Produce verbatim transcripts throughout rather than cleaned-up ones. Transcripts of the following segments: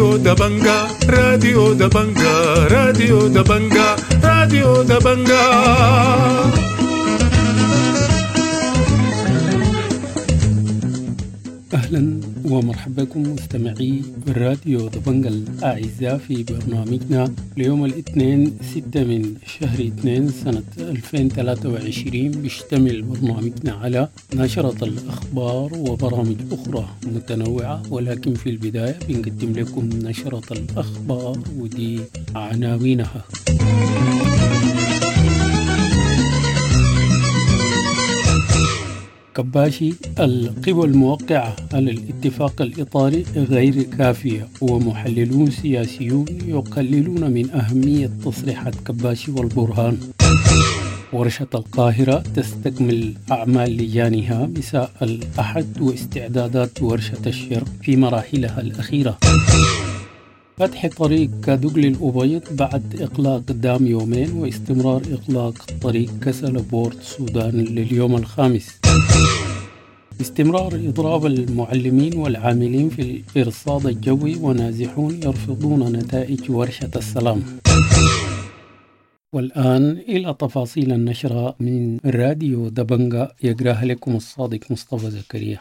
راديو دبنجا، راديو دبنجا، راديو دبنجا، راديو دبنجا. أهلا ومرحبا بكم مستمعي راديو دبنجا الأعزاء في برنامجنا ليوم الاثنين ستة من شهر اثنين سنة ألفين وثلاثة وعشرين. بيشتمل برنامجنا على نشرة الأخبار وبرامج أخرى متنوعة، ولكن في البداية بنقدم لكم نشرة الأخبار ودي عناوينها. كباشي: القوى الموقعة على الاتفاق الإطاري غير كافية، ومحللون سياسيون يقللون من أهمية تصريحات كباشي والبرهان. ورشة القاهرة تستكمل أعمال لجانها مساء الأحد واستعدادات ورشة الشرق في مراحلها الأخيرة. فتح طريق كادوغلي الأبيض بعد إغلاق دام يومين واستمرار إغلاق طريق كسل بورت السودان لليوم الخامس. استمرار إضراب المعلمين والعاملين في الإرصاد الجوي ونازحون يرفضون نتائج ورشة السلام. والآن إلى تفاصيل النشرة من راديو دبنجا، يقراها لكم الصادق مصطفى زكريا.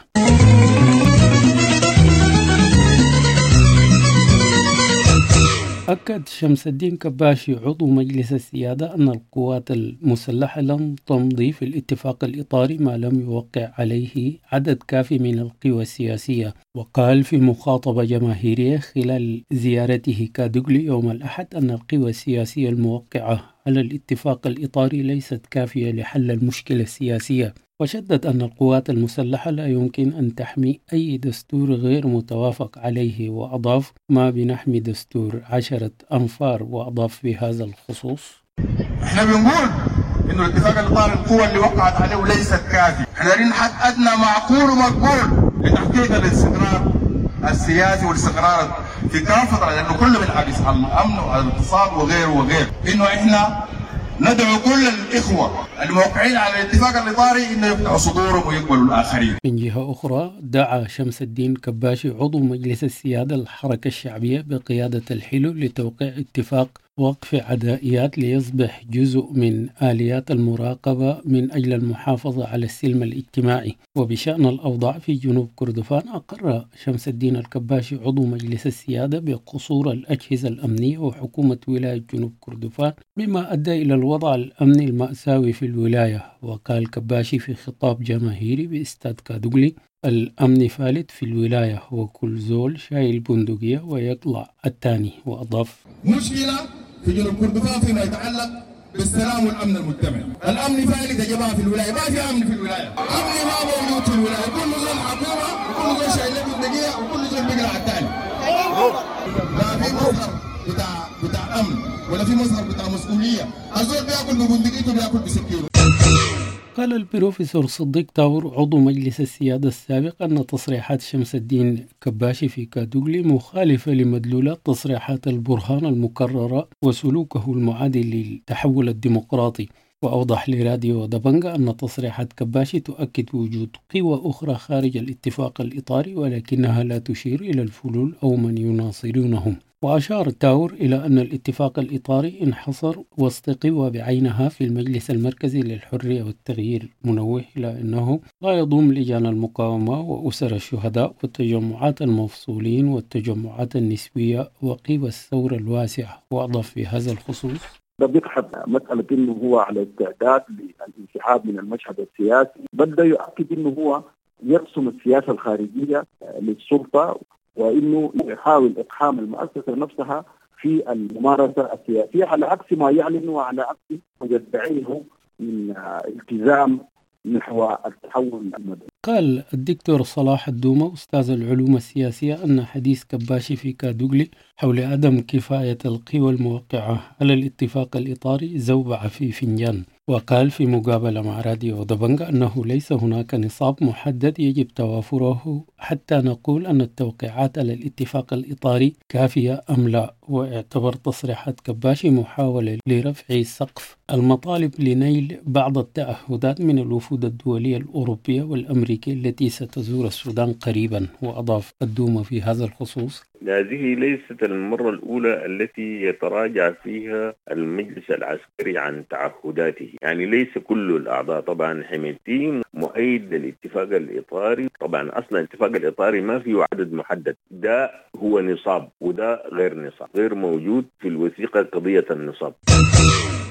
أكد شمس الدين كباشي عضو مجلس السيادة أن القوات المسلحة لن تمضي في الاتفاق الإطاري ما لم يوقع عليه عدد كافي من القوى السياسية. وقال في مخاطبة جماهيرية خلال زيارته كادوغلي يوم الأحد أن القوى السياسية الموقعة على الاتفاق الإطاري ليست كافية لحل المشكلة السياسية، وشدد أن القوات المسلحة لا يمكن أن تحمي أي دستور غير متوافق عليه، وأضاف ما بنحمي دستور عشرة أنفار. وأضاف في هذا الخصوص: احنا بنقول إنه الاتفاق الإطاري القوة اللي وقعت عليه ليست كافية، احنا دايرين حد أدنى معقول ومقبول لتحقيق الاستقرار السياسي والاستقرار في كافة، لأنه كله بينعكس على الأمن وعلى الاقتصاد وغيره وغيره. إنه احنا ندعو كل الإخوة الموقعين على الاتفاق الإطاري إنه يفتحوا صدورهم ويقبلوا الآخرين. من جهة أخرى، دعا شمس الدين كباشي عضو مجلس السيادة الحركة الشعبية بقيادة الحلو لتوقيع اتفاق وقف عدائيات ليصبح جزء من آليات المراقبة من أجل المحافظة على السلم الاجتماعي. وبشأن الأوضاع في جنوب كردفان، أقر شمس الدين الكباشي عضو مجلس السيادة بقصور الأجهزة الأمنية وحكومة ولاية جنوب كردفان مما أدى إلى الوضع الأمني المأساوي في الولاية. وقال كباشي في خطاب جماهيري باستاد كادوغلي: الأمن فالت في الولاية وكل زول شايل بندقية ويطلع الثاني. وأضاف: مشكلة في جنوب كردفان فيما يتعلق بالسلام والأمن المجتمعي. الأمن فالت يا جماعة في الولاية، ما في أمن في الولاية، أمن ما موجود في الولاية، كل زول حكومة وكل زول شايل بندقية وكل زول بيقلع على الثاني. لا في مظهر بتاع بتاع أمن ولا في مظهر بتاع مسؤولية، الزول بياكل ببندقيته بياكل بسكينه. قال البروفيسور صديق تاور عضو مجلس السيادة السابق أن تصريحات شمس الدين كباشي في كادوغلي مخالفة لمدلولات تصريحات البرهان المكررة وسلوكه المعادي للتحول الديمقراطي. وأوضح لراديو دبنجا أن تصريحات كباشي تؤكد وجود قوى أخرى خارج الاتفاق الإطاري، ولكنها لا تشير إلى الفلول أو من يناصرونهم. وأشار تاور إلى أن الاتفاق الإطاري انحصر وسط قوى بعينها في المجلس المركزي للحرية والتغيير، منوه إلى أنه لا يضم لجان المقاومة وأسر الشهداء والتجمعات المفصولين والتجمعات النسوية وقوى الثورة الواسعة. وأضاف في هذا الخصوص: ده بيدحض مسألة أنه هو على استعداد للانسحاب من المشهد السياسي، بل ده يؤكد أنه هو يرسم السياسة الخارجية للسلطة، وإنه يحاول إقحام المؤسسة نفسها في الممارسة السياسية على عكس ما يعلن وعلى عكس ما يدعيه من التزام نحو التحول المدني. قال الدكتور صلاح الدومة أستاذ العلوم السياسية أن حديث كباشي في كادوغلي حول عدم كفاية القوى الموقعة على الاتفاق الإطاري زوبعة في فنجان. وقال في مقابلة مع راديو دبنجا أنه ليس هناك نصاب محدد يجب توافره حتى نقول أن التوقيعات على الاتفاق الإطاري كافية أم لا. واعتبر تصريحات كباشي محاولة لرفع سقف المطالب لنيل بعض التعهدات من الوفود الدولية الأوروبية والأمريكية التي ستزور السودان قريبا. وأضاف الدومة في هذا الخصوص: هذه ليست المرة الأولى التي يتراجع فيها المجلس العسكري عن تعهداته، يعني ليس كل الأعضاء. طبعا حميدتي مؤيد للاتفاق الإطاري، طبعا أصلا الاتفاق الإطاري ما فيه عدد محدد، ده هو نصاب وده غير نصاب، غير موجود في الوثيقة قضية النصاب.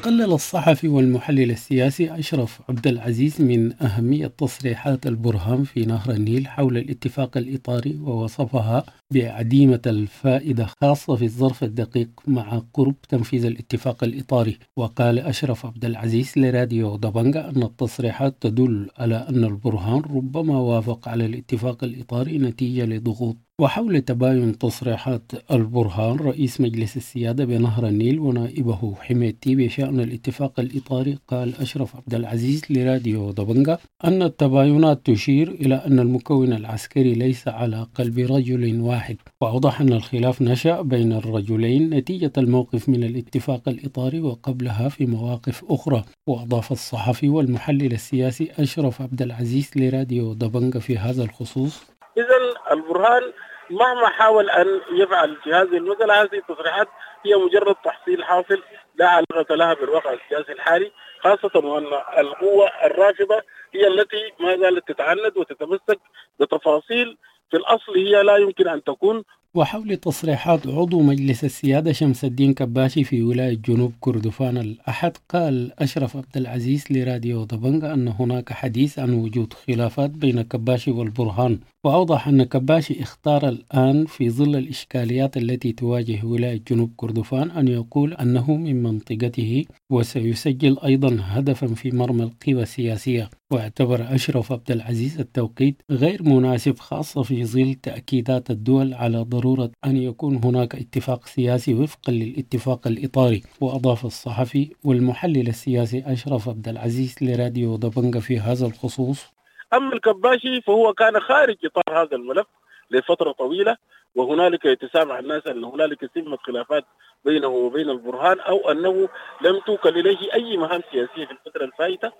قلل الصحفي والمحلل السياسي أشرف عبد العزيز من أهمية تصريحات البرهان في نهر النيل حول الاتفاق الإطاري، ووصفها بعديمة الفائدة خاصة في الظرف الدقيق مع قرب تنفيذ الاتفاق الإطاري. وقال أشرف عبد العزيز لراديو دبنجا أن التصريحات تدل على أن البرهان ربما وافق على الاتفاق الإطاري نتيجة لضغوط. وحول تباين تصريحات البرهان رئيس مجلس السيادة بنهر النيل ونائبه حميدتي بشأن الاتفاق الإطاري، قال أشرف عبد العزيز لراديو دبنجا أن التباينات تشير إلى أن المكون العسكري ليس على قلب رجل واحد، وأوضح أن الخلاف نشأ بين الرجلين نتيجة الموقف من الاتفاق الإطاري وقبلها في مواقف أخرى. وأضاف الصحفي والمحلل السياسي أشرف عبد العزيز لراديو دبنجا في هذا الخصوص: إذن البرهان مهما حاول أن يفعل في هذه المسألة، هذه التصريحات هي مجرد تحصيل حاصل لا علاقة لها بالواقع السياسي الحالي، خاصة وأن القوة الرافضة هي التي ما زالت تتعند وتتمسك بتفاصيل في الأصل هي لا يمكن أن تكون. وحول تصريحات عضو مجلس السيادة شمس الدين كباشي في ولاية جنوب كردفان الأحد، قال أشرف عبد العزيز لراديو دبنجا أن هناك حديث عن وجود خلافات بين كباشي والبرهان، وأوضح أن كباشي اختار الآن في ظل الإشكاليات التي تواجه ولاية جنوب كردفان أن يقول أنه من منطقته، وسيسجل أيضا هدفا في مرمى القوى السياسية. واعتبر أشرف عبد العزيز التوقيت غير مناسب خاصة في ظل تأكيدات الدول على ضرورة أن يكون هناك اتفاق سياسي وفقا للاتفاق الإطاري. وأضاف الصحفي والمحلل السياسي أشرف عبد العزيز لراديو دبنجا في هذا الخصوص: أما الكباشي فهو كان خارج إطار هذا الملف لفترة طويلة، وهنالك يتسامع الناس أن هنالك سمة خلافات بينه وبين البرهان، أو أنه لم توكل إليه أي مهام سياسية في الفترة الفائتة.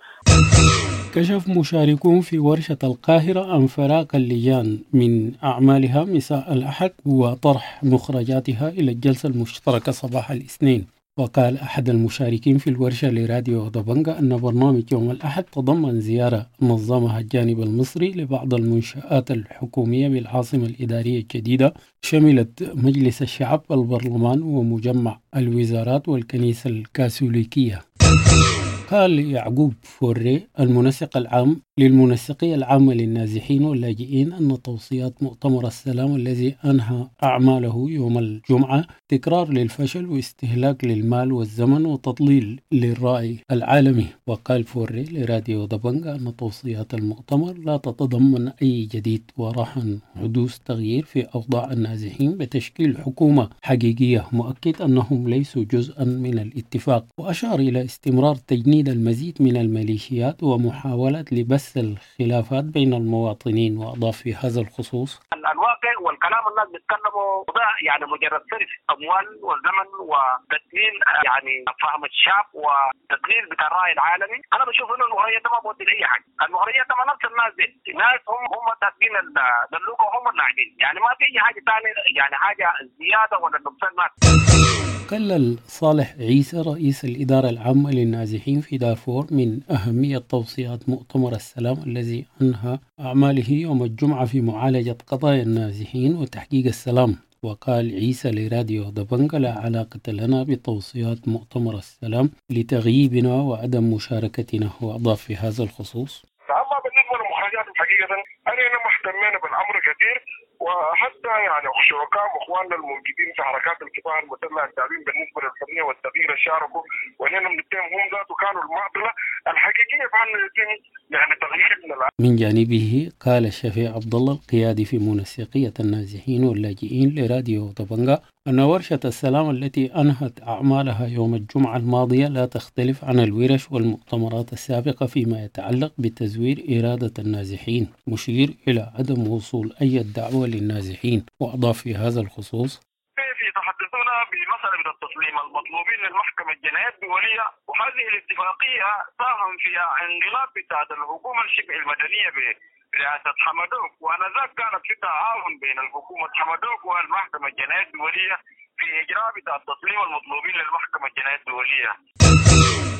كشف مشاركون في ورشة القاهرة عن فراغ اللجان من أعمالها مساء الأحد وطرح مخرجاتها إلى الجلسة المشتركة صباح الاثنين. وقال أحد المشاركين في الورشة لراديو دبنجا أن برنامج يوم الأحد تضمن زيارة نظمها الجانب المصري لبعض المنشآت الحكومية بالعاصمة الإدارية الجديدة، شملت مجلس الشعب والبرلمان ومجمع الوزارات والكنيسة الكاثوليكية. قال يعقوب فوري المنسق العام للمنسقية العامة للنازحين واللاجئين أن توصيات مؤتمر السلام الذي أنهى أعماله يوم الجمعة تكرار للفشل واستهلاك للمال والزمن وتضليل للرأي العالمي. وقال فوري لراديو دبنجا أن توصيات المؤتمر لا تتضمن أي جديد، ورهن حدوث تغيير في أوضاع النازحين بتشكيل حكومة حقيقية، مؤكد أنهم ليسوا جزءا من الاتفاق. وأشار إلى استمرار تجنيد المزيد من الميليشيات ومحاولة لبث الخلافات بين المواطنين. وأضاف في هذا الخصوص: الواقع والكلام الناس بيتكلموا ده يعني مجرد صرف اموال وزمن وتدليل يعني فهم الشعب وتدليل بتاع الراي العالمي. انا بشوف انه المغريات ده ما بودي لاي حاجه، المغريات ده ما نفس الناس دي، ناس هم هم تاكلين الدلوكه وهم اللاعبين، يعني ما في اي حاجه ثانيه، يعني حاجه زياده ولا نقصان ما. قلل صالح عيسى رئيس الإدارة العامة للنازحين في دارفور من أهمية توصيات مؤتمر السلام الذي أنهى أعماله يوم الجمعة في معالجة قضايا النازحين وتحقيق السلام. وقال عيسى لراديو دبنجا: لا علاقة لنا بتوصيات مؤتمر السلام لتغييبنا وعدم مشاركتنا. وأضاف في هذا الخصوص: أما بالنسبة للمخرجات الحقيقة أنا ما اهتمينا بالأمر كثير، وحتى يعني شركاء واخواننا الموجودين في حركات الكفاح المسلح التابعين بالنسبه للحريه والتغيير شاركوا، واننا بنتهم هم ذاته كانوا المعضله الحقيقيه بان يتم يعني تغيير من العالم. من جانبه قال الشفيع عبد الله القيادي في منسقيه النازحين واللاجئين لراديو دبنجا أن ورشة السلام التي أنهت أعمالها يوم الجمعة الماضية لا تختلف عن الورش والمؤتمرات السابقة فيما يتعلق بتزوير إرادة النازحين، مشير إلى عدم وصول أي دعوة للنازحين. وأضاف في هذا الخصوص: يتحدثون بما المطلوبين للمحكمة الجنائية الدولية، وهذه الاتفاقية ساهم فيها انقلاب بتاعت الحكومة الشبه المدنية برئاسة حمدوك، وانذاك كانت في تعاون بين الحكومة حمدوك والمحكمة الجنائية الدولية في اجراء بتاع تسليم المطلوبين للمحكمة الجنائية الدولية.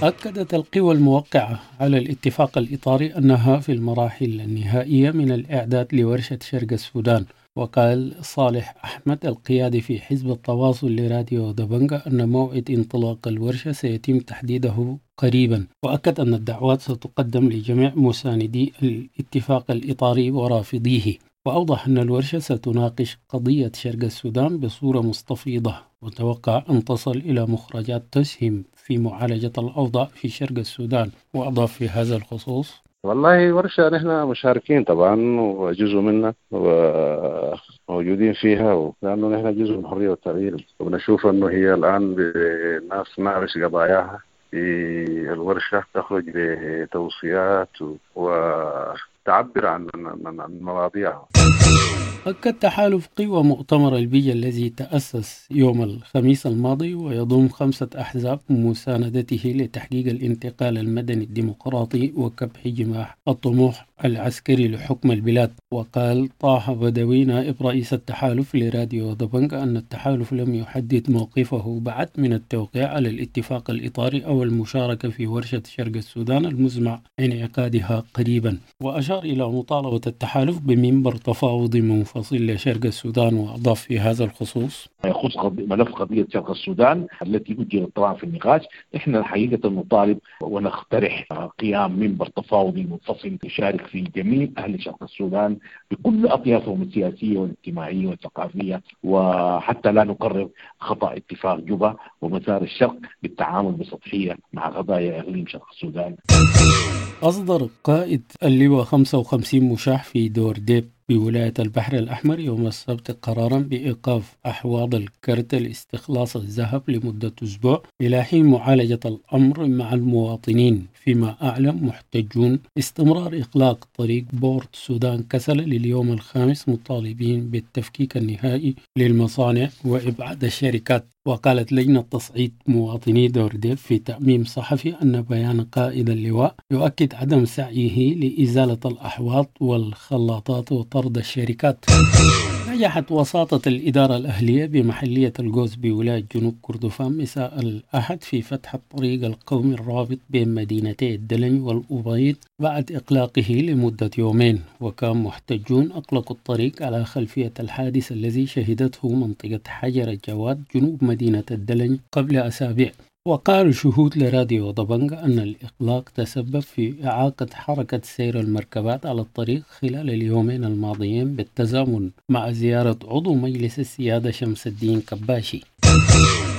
أكدت القوى الموقعة على الاتفاق الإطاري أنها في المراحل النهائية من الإعداد لورشة شرق السودان. وقال صالح أحمد القيادي في حزب التواصل لراديو دبنجا أن موعد انطلاق الورشة سيتم تحديده قريبا، وأكد أن الدعوات ستقدم لجميع مساندي الاتفاق الإطاري ورافضيه. وأوضح أن الورشة ستناقش قضية شرق السودان بصورة مستفيضة، وتوقع أن تصل إلى مخرجات تسهم في معالجة الأوضاع في شرق السودان. وأضاف في هذا الخصوص: والله ورشة نحن مشاركين طبعا وجزء منا وموجودين فيها، لأنه نحن جزء من الحرية والتغيير، وبنشوف أنه هي الآن الناس ناقش قضاياها في الورشة، تخرج بتوصيات وتعبر عن مواضيعها. أكد تحالف قوى مؤتمر البيجا الذي تأسس يوم الخميس الماضي ويضم خمسة أحزاب مساندته لتحقيق الانتقال المدني الديمقراطي وكبح جماح الطموح العسكري لحكم البلاد. وقال طه بدوي نائب رئيس التحالف لراديو دبنجا أن التحالف لم يحدد موقفه بعد من التوقيع على الاتفاق الإطاري أو المشاركة في ورشة شرق السودان المزمع انعقادها قريبا. وأشار إلى مطالبة التحالف بمنبر تفاوضي منفصل لشرق السودان. وأضاف في هذا الخصوص: يخص ملف قضية شرق السودان التي أجلت طبعا في النقاش، إحنا الحقيقة نطالب ونقترح قيام منبر تفاوضي منفصل يشارك فيه جميع أهل شرق السودان بكل أطيافهم السياسية والاجتماعية والثقافية، وحتى لا نكرر خطأ اتفاق جوبا ومسار الشرق بالتعامل بسطحية مع قضايا إقليم شرق السودان. أصدر قائد اللواء خمسة وخمسين مشاح في دور ديب بولاية البحر الأحمر يوم السبت قرارا بإيقاف أحواض الكرت لاستخلاص الذهب لمدة أسبوع إلى حين معالجة الأمر مع المواطنين، فيما أعلن محتجون استمرار إغلاق طريق بورت سودان كسل لليوم الخامس مطالبين بالتفكيك النهائي للمصانع وإبعاد الشركات. وقالت لجنة تصعيد مواطني دورديب في تأميم صحفي أن بيان قائد اللواء يؤكد عدم سعيه لإزالة الأحواض والخلاطات وطرد الشركات. نجحت وساطة الإدارة الأهلية بمحلية الجوز بولاية جنوب كردفان مساء الأحد في فتح الطريق القومي الرابط بين مدينتي الدلنج والأبيض بعد إغلاقه لمدة يومين. وكان محتجون أغلقوا الطريق على خلفية الحادث الذي شهدته منطقة حجر الجواد جنوب مدينة الدلنج قبل أسابيع. وقال شهود لراديو دبنجا أن الإغلاق تسبب في إعاقة حركة سير المركبات على الطريق خلال اليومين الماضيين بالتزامن مع زيارة عضو مجلس السيادة شمس الدين كباشي.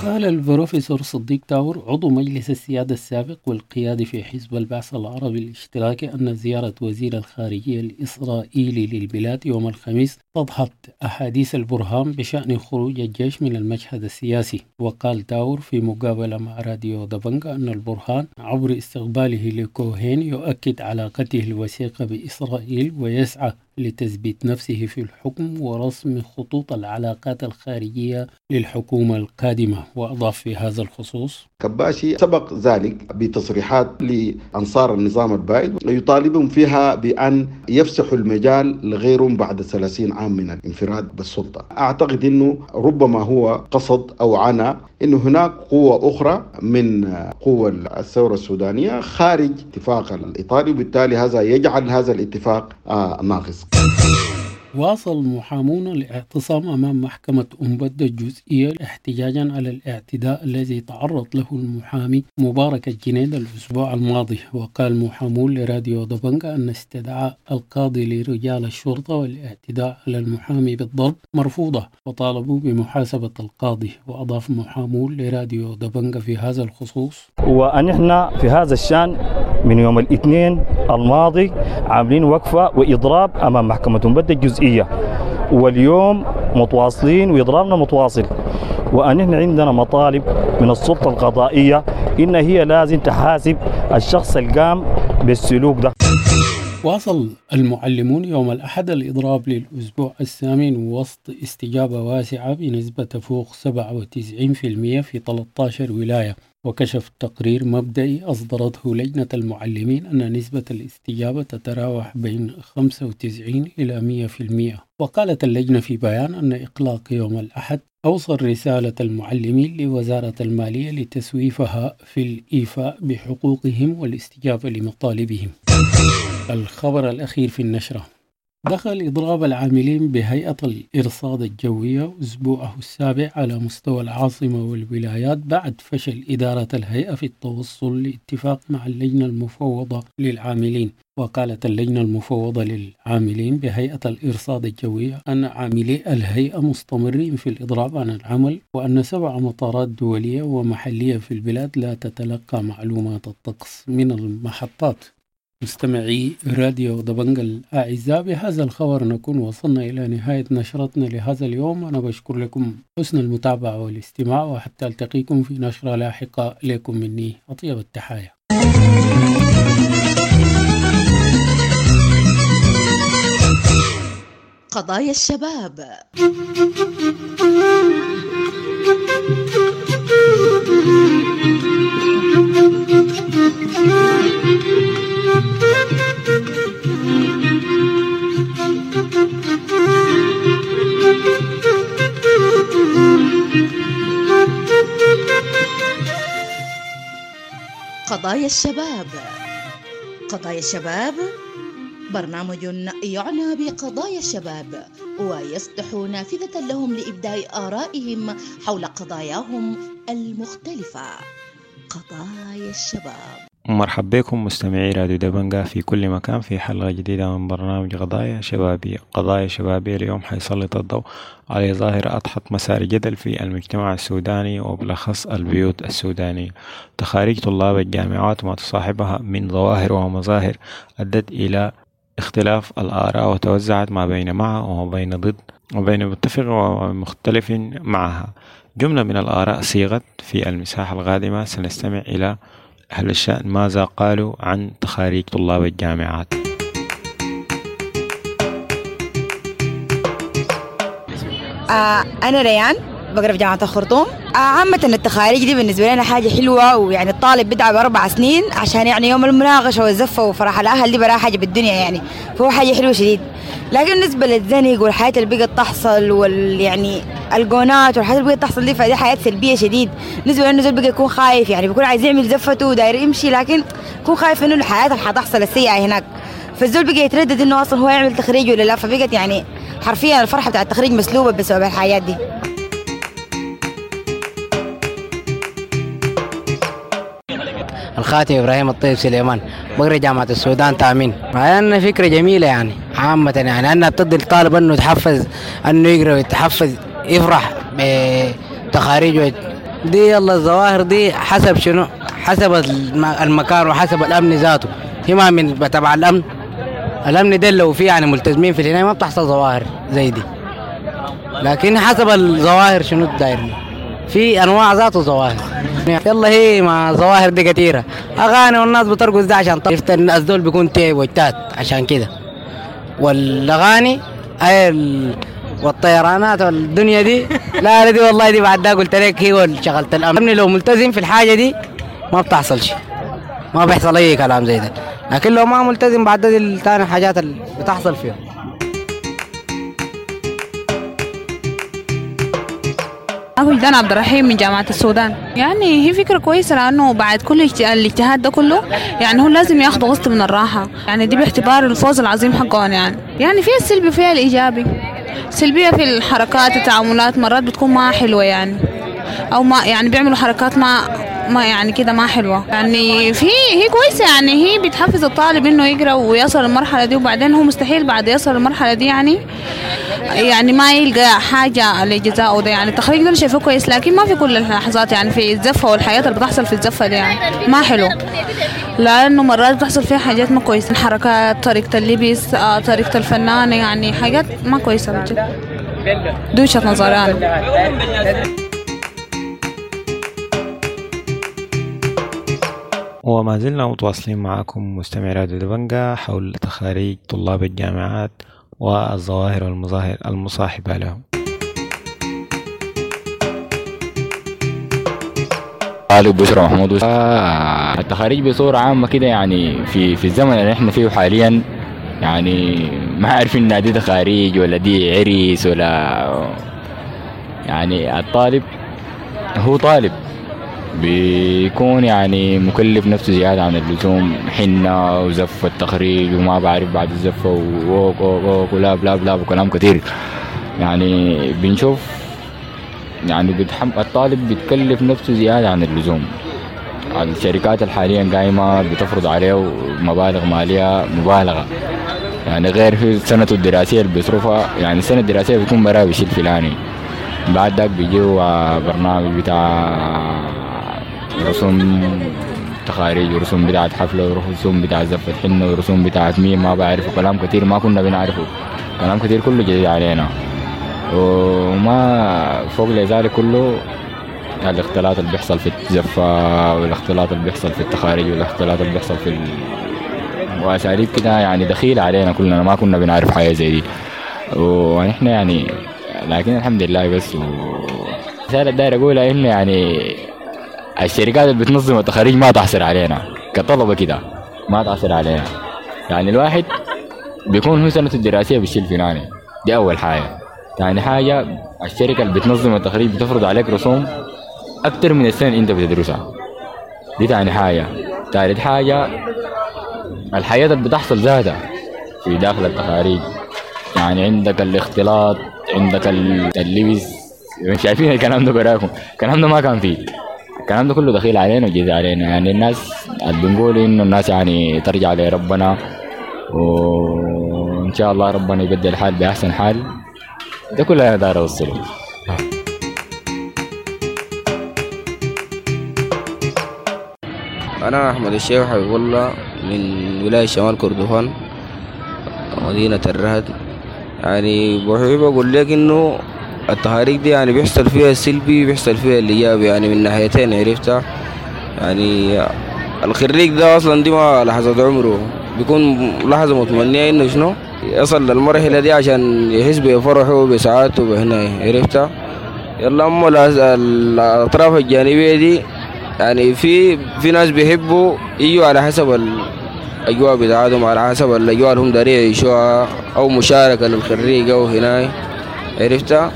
قال البروفيسور صديق تاور عضو مجلس السيادة السابق والقيادي في حزب البعث العربي الاشتراكي أن زيارة وزير الخارجية الإسرائيلي للبلاد يوم الخميس تدحض أحاديث البرهان بشأن خروج الجيش من المشهد السياسي. وقال تاور في مقابلة مع راديو دبنجا أن البرهان عبر استقباله لكوهين يؤكد علاقته الوثيقة بإسرائيل ويسعى لتثبيت نفسه في الحكم ورسم خطوط العلاقات الخارجية للحكومة القادمة. وأضاف في هذا الخصوص: كباشي سبق ذلك بتصريحات لأنصار النظام البائد يطالبهم فيها بأن يفسحوا المجال لغيرهم بعد ثلاثين عام من الانفراد بالسلطة. أعتقد أنه ربما هو قصد أو عنا أنه هناك قوة أخرى من قوى الثورة السودانية خارج اتفاق الإطاري، وبالتالي هذا يجعل هذا الاتفاق ناقص. واصل محامون الاعتصام أمام محكمة أمبدة الجزئية احتجاجا على الاعتداء الذي تعرض له المحامي مبارك الجنيد الأسبوع الماضي. وقال محامون لراديو دبنجا أن استدعاء القاضي لرجال الشرطة والاعتداء على المحامي بالضرب مرفوضة، وطالبوا بمحاسبة القاضي. وأضاف محامون لراديو دبنجا في هذا الخصوص: ونحن في هذا الشأن من يوم الاثنين الماضي عاملين وقفة وإضراب أمام محكمة أمبدة الجزئية، واليوم متواصلين وإضرابنا متواصل. وأن عندنا مطالب من السلطة القضائية إن هي لازم تحاسب الشخص القام بالسلوك ده. واصل المعلمون يوم الأحد الإضراب للأسبوع الثامن وسط استجابة واسعة بنسبة تفوق سبعة وتسعين في المية في ثلاثة عشر ولاية. وكشف تقرير مبدئي أصدرته لجنة المعلمين أن نسبة الاستجابة تتراوح بين خمسة وتسعين إلى مئة في المئة. وقالت اللجنة في بيان أن إقلاق يوم الأحد أوصل رسالة المعلمين لوزارة المالية لتسويفها في الإيفاء بحقوقهم والاستجابة لمطالبهم. الخبر الأخير في النشرة: دخل إضراب العاملين بهيئة الإرصاد الجوية أسبوعه السابع على مستوى العاصمة والولايات بعد فشل إدارة الهيئة في التوصل لاتفاق مع اللجنة المفوضة للعاملين. وقالت اللجنة المفوضة للعاملين بهيئة الإرصاد الجوية أن عاملي الهيئة مستمرين في الإضراب عن العمل، وأن سبع مطارات دولية ومحلية في البلاد لا تتلقى معلومات الطقس من المحطات. مستمعي راديو دبنجا الأعزاء، بهذا الخبر نكون وصلنا إلى نهاية نشرتنا لهذا اليوم. أنا بشكر لكم حسن المتابعة والاستماع، وحتى ألتقيكم في نشرة لاحقة لكم مني أطيب التحايا. قضايا الشباب. قضايا الشباب. قضايا الشباب برنامج يعنى بقضايا الشباب ويفتح نافذة لهم لإبداء آرائهم حول قضاياهم المختلفة. قضايا الشباب. مرحب بكم مستمعي راديو دبنجا في كل مكان في حلقة جديدة من برنامج قضايا شبابية. قضايا شبابية اليوم حيسلط الضوء على ظاهرة أضحت مسار جدل في المجتمع السوداني وبالأخص البيوت السودانية، تخاريج طلاب الجامعات وما تصاحبها من ظواهر ومظاهر أدت إلى اختلاف الآراء وتوزعت ما بين مع وما بين ضد وبين متفق ومختلف معها. جملة من الآراء صيغت في المساحة القادمة. سنستمع إلى أهل الشأن ماذا قالوا عن تخاريج طلاب الجامعات. آه أنا ريان بقرأ في جامعة الخرطوم. آه عامة التخاريج دي بالنسبة لنا حاجة حلوة، ويعني الطالب بيتعب أربع سنين عشان يعني يوم المناقشة والزفة وفرح الأهل دي براها حاجة بالدنيا يعني، فهو حاجة حلوة شديد. لكن بالنسبة للزنق والحياة اللي بقت تحصل وال يعني الجونات والحاجات اللي بقت تحصل دي، فدي حياة سلبية شديد. بالنسبة لأنه زول بقى يكون خايف، يعني بيكون عايز يعمل زفته وداير يمشي، لكن يكون خايف إنه الحياة اللي حتحصل السيئة هناك، فالزول بقى يتردد إنه أصلا هو يعمل تخريج ولا لا. فبقت يعني حرفيا الفرحة بتاع التخريج مسلوبة بسبب الحياة دي. الخاتم إبراهيم الطيب سليمان، بقرأ جامعة السودان تأمين. أنا فكرة جميلة يعني عامة، يعني أنها بتدي الطالب أنه يتحفز، أنه يقرأ ويتحفز، يفرح بتخاريجه دي. يلا الظواهر دي حسب شنو؟ حسب المكان وحسب الأمن ذاته. هي ما من تبع الأمن، الأمن ده لو فيه يعني ملتزمين في الهنا ما بتحصل ظواهر زي دي، لكن حسب الظواهر شنو الداير في أنواع ذاته ظواهر. يلا هي ما ظواهر دي كثيرة، أغاني والناس بترقص ده عشان طريقة الناس دول بيكون تعب وجتات عشان كده، والأغاني هاي ال... والطيرانات والدنيا دي لا دي والله دي بعد ده قلت لك هي شغلت الأمن. لو ملتزم في الحاجة دي ما بتحصل شيء، ما بيحصل أي كلام زي ده، لكن لو ما ملتزم بعد ده دي تاني حاجات اللي بتحصل فيها. وجدان عبد الرحيم من جامعة السودان. يعني هي فكرة كويسة، لأنه بعد كل الاجتهاد ده كله يعني هو لازم ياخذ قسط من الراحة، يعني دي باعتبار الفوز العظيم حقهم. يعني يعني فيها السلبي وفيها الإيجابي. سلبية في الحركات التعاملات مرات بتكون ما حلوة يعني، أو ما يعني بيعملوا حركات ما ما يعني كده ما حلوة. يعني في هي كويسة، يعني هي بتحفز الطالب إنه يقرأ ويصل المرحلة دي، وبعدين هو مستحيل بعد يصل المرحلة دي يعني يعني ما يلقى حاجة لجزائه ده. يعني التخريج ده شايفه كويس، لكن ما في كل اللحظات، يعني في الزفة والحياة اللي بتحصل في الزفة دي يعني ما حلو، لأنه مرات بتحصل فيها حاجات ما كويسة، الحركات، طريقة اللبس، طريقة الفنانة، يعني حاجات ما كويسة بجد. دي وجهة نظري أنا. وما زلنا متواصلين معكم مستمعي راديو دبنجا حول تخاريج طلاب الجامعات والظواهر والمظاهر المصاحبة لهم. طالب بشرى محمود. التخاريج بصورة عامة كده يعني في في الزمن اللي احنا فيه حاليا، يعني ما عارفين ان دي تخاريج ولا دي عريس ولا، يعني الطالب هو طالب بيكون يعني مكلف نفسه زيادة عن اللزوم، حنة وزفة التخريج وما بعرف بعد الزفة ووك ووك ولا بلا بلا وكلام كثير. يعني بنشوف يعني بتحم... الطالب بيتكلف نفسه زيادة عن اللزوم. الشركات الحاليا قايمة بتفرض عليه مبالغ مالية مبالغة، يعني غير في سنته الدراسية اللي بيصرفها، يعني السنة الدراسية بيكون براه بشيء الفلاني، بعد ذاك بيجيو برنامج بتاع رسوم تخاريج ورسوم بتاعت حفلة ورسوم بتاعت زفة حنة ورسوم بتاعت مين ما بعرفه، كلام كتير ما كنا بنعرفه، كلام كتير كله جديد علينا. وما فوق لذلك كله الاختلاط اللي بيحصل في الزفة والاختلاط اللي بيحصل في التخاريج والاختلاط اللي بيحصل في ال... وأساليب كده يعني دخيلة علينا كلنا، ما كنا بنعرف حاجة زي دي ونحن يعني، لكن الحمد لله. بس و... رسالة داير أقولها إنه يعني الشركات اللي بتنظم التخاريج ما تحصر علينا كطلبة كده، ما تحصر علينا. يعني الواحد بيكون هو سنته الدراسية بالشيء الفلاني، دي أول حاجة. ثاني حاجة الشركة اللي بتنظم التخريج بتفرض عليك رسوم أكتر من السنة اللي أنت بتدرسها، دي ثاني حاجة. ثالث حاجة الحياة اللي بتحصل ذاتها في داخل التخاريج، يعني عندك الاختلاط، عندك اللبس، شايفين الكلام ده براكم، الكلام ده ما كان فيه، الكلام ده كله دخيل علينا وجديد علينا. يعني الناس بنقول إنه الناس يعني ترجع لربنا وإن شاء الله ربنا يبدل الحال بأحسن حال، ده كله أنا داير أوصله. أنا أحمد الشيخ حبيب الله من ولاية شمال كردفان مدينة الرهد. يعني بحب أقول لك إنه التخاريج دي يعني بيحصل فيها السلبي بيحصل فيها الإيجابي، يعني من ناحيتين عرفتها. يعني الخريج ده أصلا دي ما لحظة عمره، بيكون لحظة متمنية إنه شنو يصل للمرحلة دي عشان يحس بفرحه وبسعادته بهنا عرفتها. يلا أما الأطراف الجانبية دي يعني في في ناس بيحبوا يجوا على حسب الأجواء بتاعتهم، على حسب الأجواء اللي هم دارين يعيشوها أو مشاركة للخريج أو هنا عرفتها.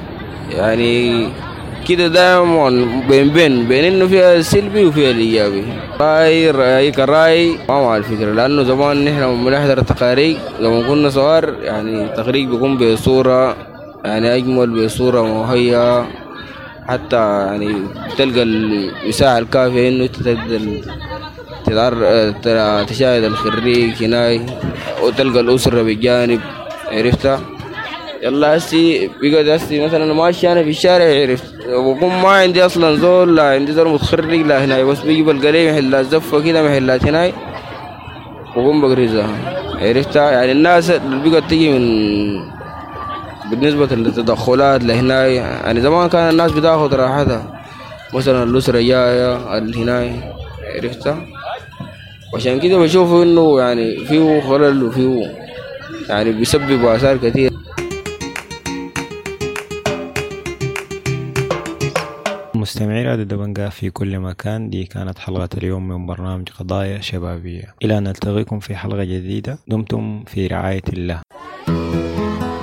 يعني كده دائما بين بين بين إنه فيها السلبي وفيها الإيجابي. رأي رأي كرأي ما مع الفكرة، لأنه زمان نحن لما بنحضر التخاريج لما كنا صغار يعني التخريج بيكون بصورة يعني أجمل، بصورة مهيئة، حتى يعني تلقى المساحة الكافية إنه تقدر تشاهد الخريج هناك وتلقى الأسرة بالجانب عرفتها. يلا هسي بيقعد هسي مثلا ماشي أنا في الشارع عرفت، وبكون ما عندي أصلا زول، لا عندي زول متخرج لا هناك، بس بيجي بلقى لي محلات زفة كده محلات هناك وبقوم بقرزها عرفتها. يعني الناس اللي بيقعد تيجي من بالنسبة للتدخلات لهناي، يعني زمان كان الناس بتاخد راحتها، مثلا الأسرة جاية الهناي عرفتها. وعشان كده بشوف إنه يعني فيه خلل وفيه يعني بيسبب آثار كثير. مستمعي راديو دبنجا في كل مكان، دي كانت حلقة اليوم من برنامج قضايا شبابية. إلى أن نلتقيكم في حلقة جديدة، دمتم في رعاية الله.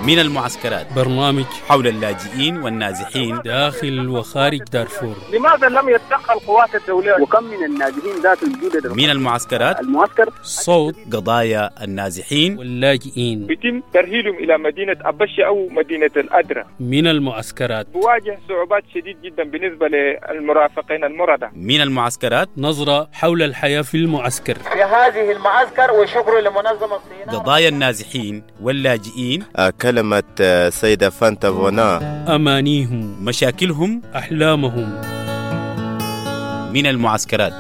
من المعسكرات، برنامج حول اللاجئين والنازحين داخل وخارج دارفور. لماذا لم يتدخل القوات الدولية؟ وكم من النازحين ذات الجودة؟ من المعسكرات، المعسكر صوت قضايا النازحين واللاجئين، يتم ترحيلهم إلى مدينة أبشة أو مدينة الأدرة. من المعسكرات بواجه صعوبات شديد جدا بالنسبة للمرافقين المرضى. من المعسكرات، نظرة حول الحياة في المعسكر في هذه المعسكر، وشكر لمنظمة الصين. قضايا النازحين واللاجئين، كلمة سيدة فانتا فونا، أمانيهم، مشاكلهم، أحلامهم. من المعسكرات.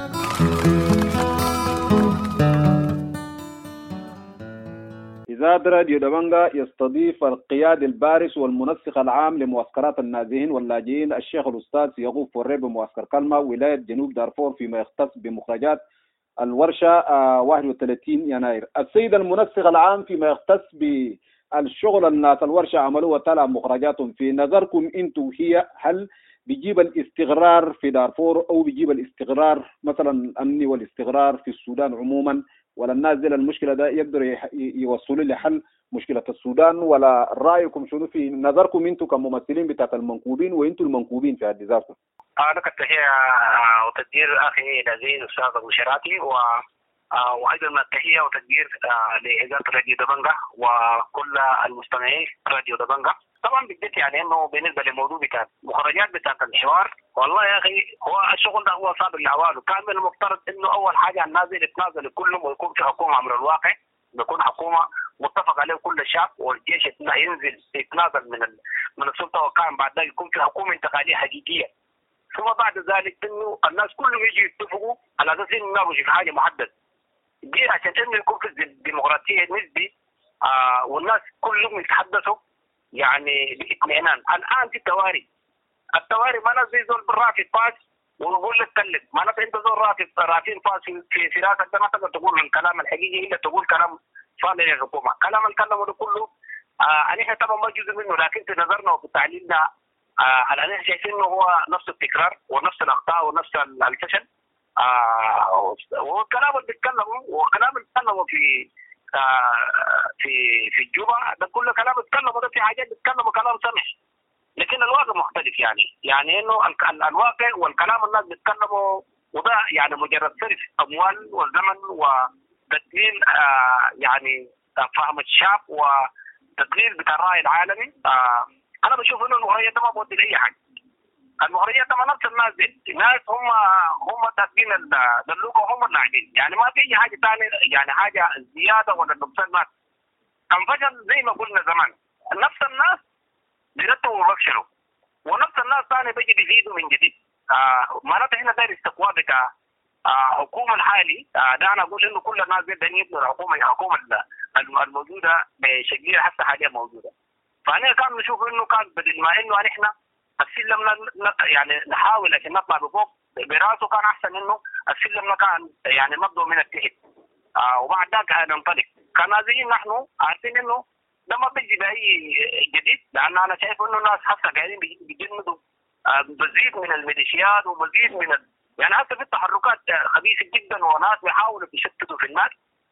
إذاعة راديو دبنجا يستضيف القيادي البارز والمنسق العام لمعسكرات النازحين واللاجئين الشيخ الأستاذ يعقوب فوري بمعسكر كلمة ولاية جنوب دارفور فيما يختص بمخرجات الورشة واحد وثلاثين يناير. السيد المنسق العام فيما يختص بالشغل الناس الورشة عملوه وطلع مخرجاتهم، في نظركم انتم هي هل بيجيب الاستقرار في دارفور او بيجيب الاستقرار مثلا الامني والاستقرار في السودان عموما، ولا الناس دي المشكلة ده يقدروا يوصلوا لحل مشكلة السودان، ولا رايكم شنو في نظركم انتم كممثلين بتاعت المنكوبين وانتم المنكوبين في حد ذاتكم؟ لك التحية وتقدير اخي العزيز الاستاذ ابو شراتي، و وايضا التحية وتقدير لاذاعة راديو دبنجة وكل المستمعين راديو دبنجة. طبعا بالذات يعني انه بالنسبة للموضوع بتاع مخرجات بتاعت الحوار، والله يا اخي هو الشغل ده هو صعب الاعوال، وكان من المفترض انه اول حاجة الناس يتنازلوا كلهم ويكون في حكومة امر الواقع، بيكون حكومة متفق عليه كل الشعب، والجيش ينزل يتنازل من من السلطة، وكان بعد ذلك يكون في حكومة انتقالية حقيقية، ثم بعد ذلك انه الناس كلهم يجوا يتفقوا على اساس انه يناقشوا في حاجة محددة دي عشان انه يكون في الديمقراطية نسبي آه والناس كلهم يتحدثوا يعني باطمئنان. الان في تواري، التواري ما ناس زي زول بالرافي فاس ويقول لك كلم، ما ناس انت زول رافي رافين فاس في في راسك ده ما تقدر تقول الكلام الحقيقي الا تقول كلام صالح للحكومة، كلام الكلام ده كله آه نحن طبعا ما جزء منه، لكن في نظرنا وفي تعليلنا آه الان احنا شايفين انه هو نفس التكرار ونفس الاخطاء ونفس الفشل. آه والكلام اللي بيتكلموا وكلام اللي بيتكلموا في آه في في الجوبة ده كله كلام بيتكلموا ده في حاجات بيتكلموا كلام سمح، لكن الواقع مختلف. يعني يعني انه الواقع والكلام الناس بيتكلموا وده يعني مجرد صرف اموال وزمن وتدليل آه يعني فهم الشعب وتدليل بتاع الراي العالمي. آه انا بشوف انه المخرجات ده ما بودي لاي حاجة. المخرجات ده ما نفس الناس دي، الناس هم هم تاكلين الدلوكه وهم اللاعبين، يعني ما في اي حاجة ثانية، يعني حاجة زيادة ولا نقصان. ما كان فشل زي ما قلنا زمان، نفس الناس بيرتبوا وبفشلوا، ونفس الناس ثاني بيجي بيزيدوا من جديد. آه معناته احنا داير استقواء بتاع حكومة الحالي. آه ده انا اقول انه كل الناس دي دايرين يبنوا الحكومة، الحكومة الموجودة بشكلها حتى حاليا موجودة. فانا كان نشوف انه كان بدل ما انه نحن السلم يعني نحاول عشان نطلع بفوق براسه، كان احسن انه السلم كان يعني نبدو من التحت آه وبعد ذاك ننطلق. كنازلين نحن عارفين انه ده ما بيجي باي جديد، لان انا شايف انه الناس حتى قاعدين بيجندوا آه مزيد من الميليشيات ومزيد من ال... يعني حتى في تحركات خبيثة جدا، وناس بيحاولوا بيشتتوا في الناس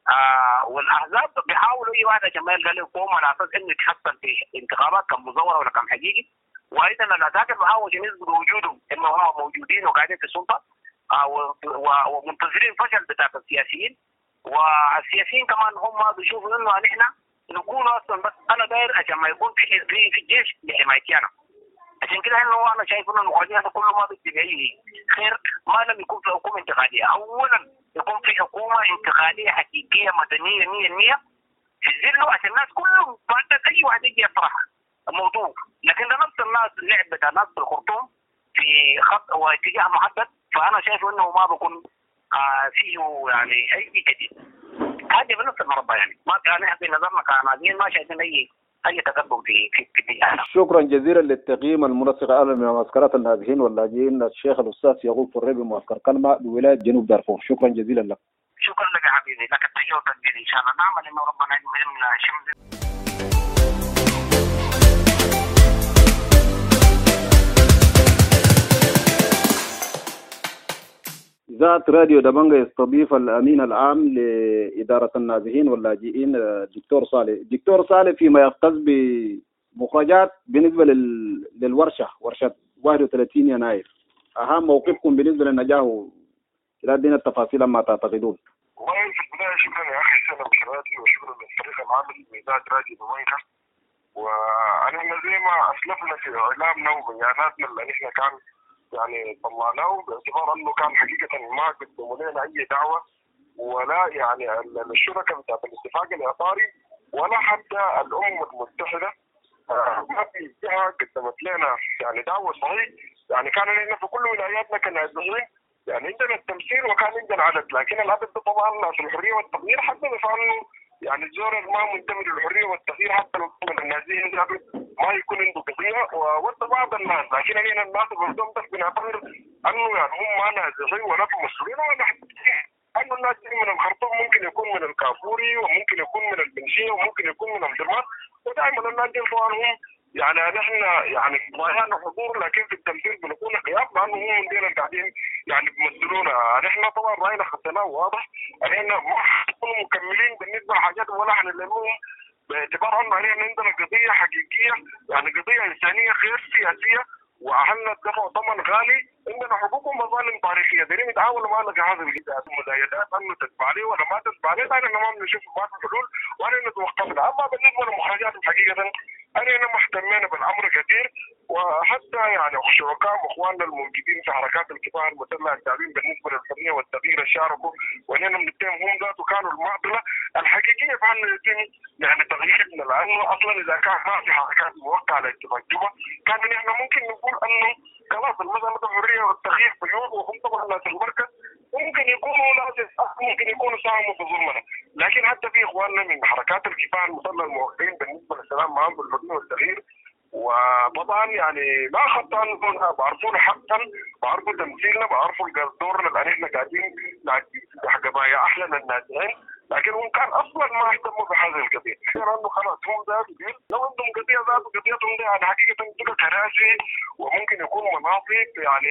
آه والاحزاب بيحاولوا اي واحد عشان ما يلقى له قوم على اساس انه يتحصل في انتخابات كان مزوره ولا كان حقيقي. وايضا العساكر بيحاولوا يثبتوا وجودهم انه هم موجودين وقاعدين في السلطة آه ومنتظرين فشل بتاع السياسيين. والسياسيين كمان هم بيشوفوا انه نحن نكون اصلا بس انا داير عشان ما يكون في في الجيش لحمايتي انا. عشان كده انه انا شايف انه المخرجين هذا كله ما بدي باي خير ما لم يكون في حكومة انتقالية. اولا يكون في حكومة انتقالية حقيقية مدنية مية بالمية في ظله عشان الناس كلهم بعد اي واحد يجي يطرح موضوع، لكن ده نفس الناس اللعب بتاع الناس بالخرطوم في خط واتجاه محدد، فانا شايف انه ما بكون آه فيه يعني اي جديد. هذه بنفس المربع يعني ما كان في نظرنا كعناديين ما شايفين اي اي تقدم في في في شكرا جزيلا للتقييم المنسق الاعلى من معسكرات النازحين واللاجئين الشيخ الاستاذ يعقوب فريبي معسكر كلمة بولاية جنوب دارفور، شكرا جزيلا لك. شكرا لك يا حبيبي، لك التحية والتقدير ان شاء الله، نعمل انه ربنا يمنع شمس. إذاعة راديو دبنجة يستضيف الأمين العام لإدارة النازحين واللاجئين الدكتور صالح. الدكتور صالح، فيما يختص بمخرجات بالنسبة لل... للورشة ورشة واحد وثلاثين يناير، أهم موقفكم بالنسبة للنجاح لا دين التفاصيل ما تعتقدون؟ والله في البداية شكرا يا أخي سلام شراتي وشكرا للفريق العامل لإذاعة راديو دبنجة. وأنا زي ما أسلفنا في إعلامنا وبياناتنا اللي نحن كان يعني طلعناه باعتبار انه كان حقيقة ما قدموا لنا اي دعوه ولا يعني الشركاء بتاعت الاتفاق الاطاري ولا حتى الامم المتحدة ما في جهة قدمت لنا يعني دعوه. صحيح يعني كان نحن في كل ولاياتنا كنازحين يعني عندنا التمثيل وكان عندنا عدد، لكن العدد ده طبعا في الحرية والتغيير حتى انه يعني الزور ما منتمي للحرية والتغيير حتى لو من النازحين ما يكون عنده قضية وود بعض الناس، لكن هنا الناس برضهم بس بنعتبر انه يعني هم ما نازحين ولا في مسؤولين ولا حتى انه الناس دي من الخرطوم ممكن يكون من الكافوري وممكن يكون من البنشيه وممكن يكون من امدرمان، ودائما الناس دي طبعا هم يعني نحن يعني قضايانا حضور لكن في التمثيل بنكون غياب، لانه هم من دينا قاعدين يعني بيمثلونا. نحن طبعا راينا خطيناه واضح، نحن ما حنكون مكملين بالنسبة لحاجات ولا حنلمهم باعتبار انه نحن عندنا قضية حقيقية، يعني قضية انسانيه غير سياسية، واهلنا دفعوا ثمن غالي، عندنا حقوق ومظالم تاريخية، دايرين يتعاونوا معنا في هذا المزايدات انه تتبع لي ولا ما تتبع لي، لان ما بنشوف ما في حلول ولا توقفنا. اما بالنسبة للمخرجات حقيقة انا ما اهتمينا بالامر كثير، وحتى يعني شركاء واخواننا الموجودين في حركات الكفاح المسلح التابعين بالنسبة للحرية والتغيير شاركوا، واننا بنتهم هم ذاته كانوا المعضلة الحقيقية في انه يتم يعني تغييرنا، لانه اصلا اذا كان ما في حركات موقعه على اتفاق جوبا كان نحن ممكن نقول انه خلاص المسالة الحرية والتغيير بيوض، وهم طبعا ناس المركز ممكن يكونوا ناس ممكن يكونوا ساهموا في ظلمنا، لكن حتى في اخواننا من حركات الكفاح المسلح الموقعين بالنسبة للسلام معهم بالحرية والتغيير، وطبعا يعني ما خطأنا، بعرفونا حقا، بعرفوا تمثيلنا، بعرفوا دورنا اللي احنا قاعدين قضايا احلى النازحين، لكن هم كان اصلا ما اهتموا بهذه القضية، لانه خلاص هم ذات لو عندهم قضية ذات قضيتهم دي يعني حقيقة تبقى كراسي وممكن يكونوا مناصب يعني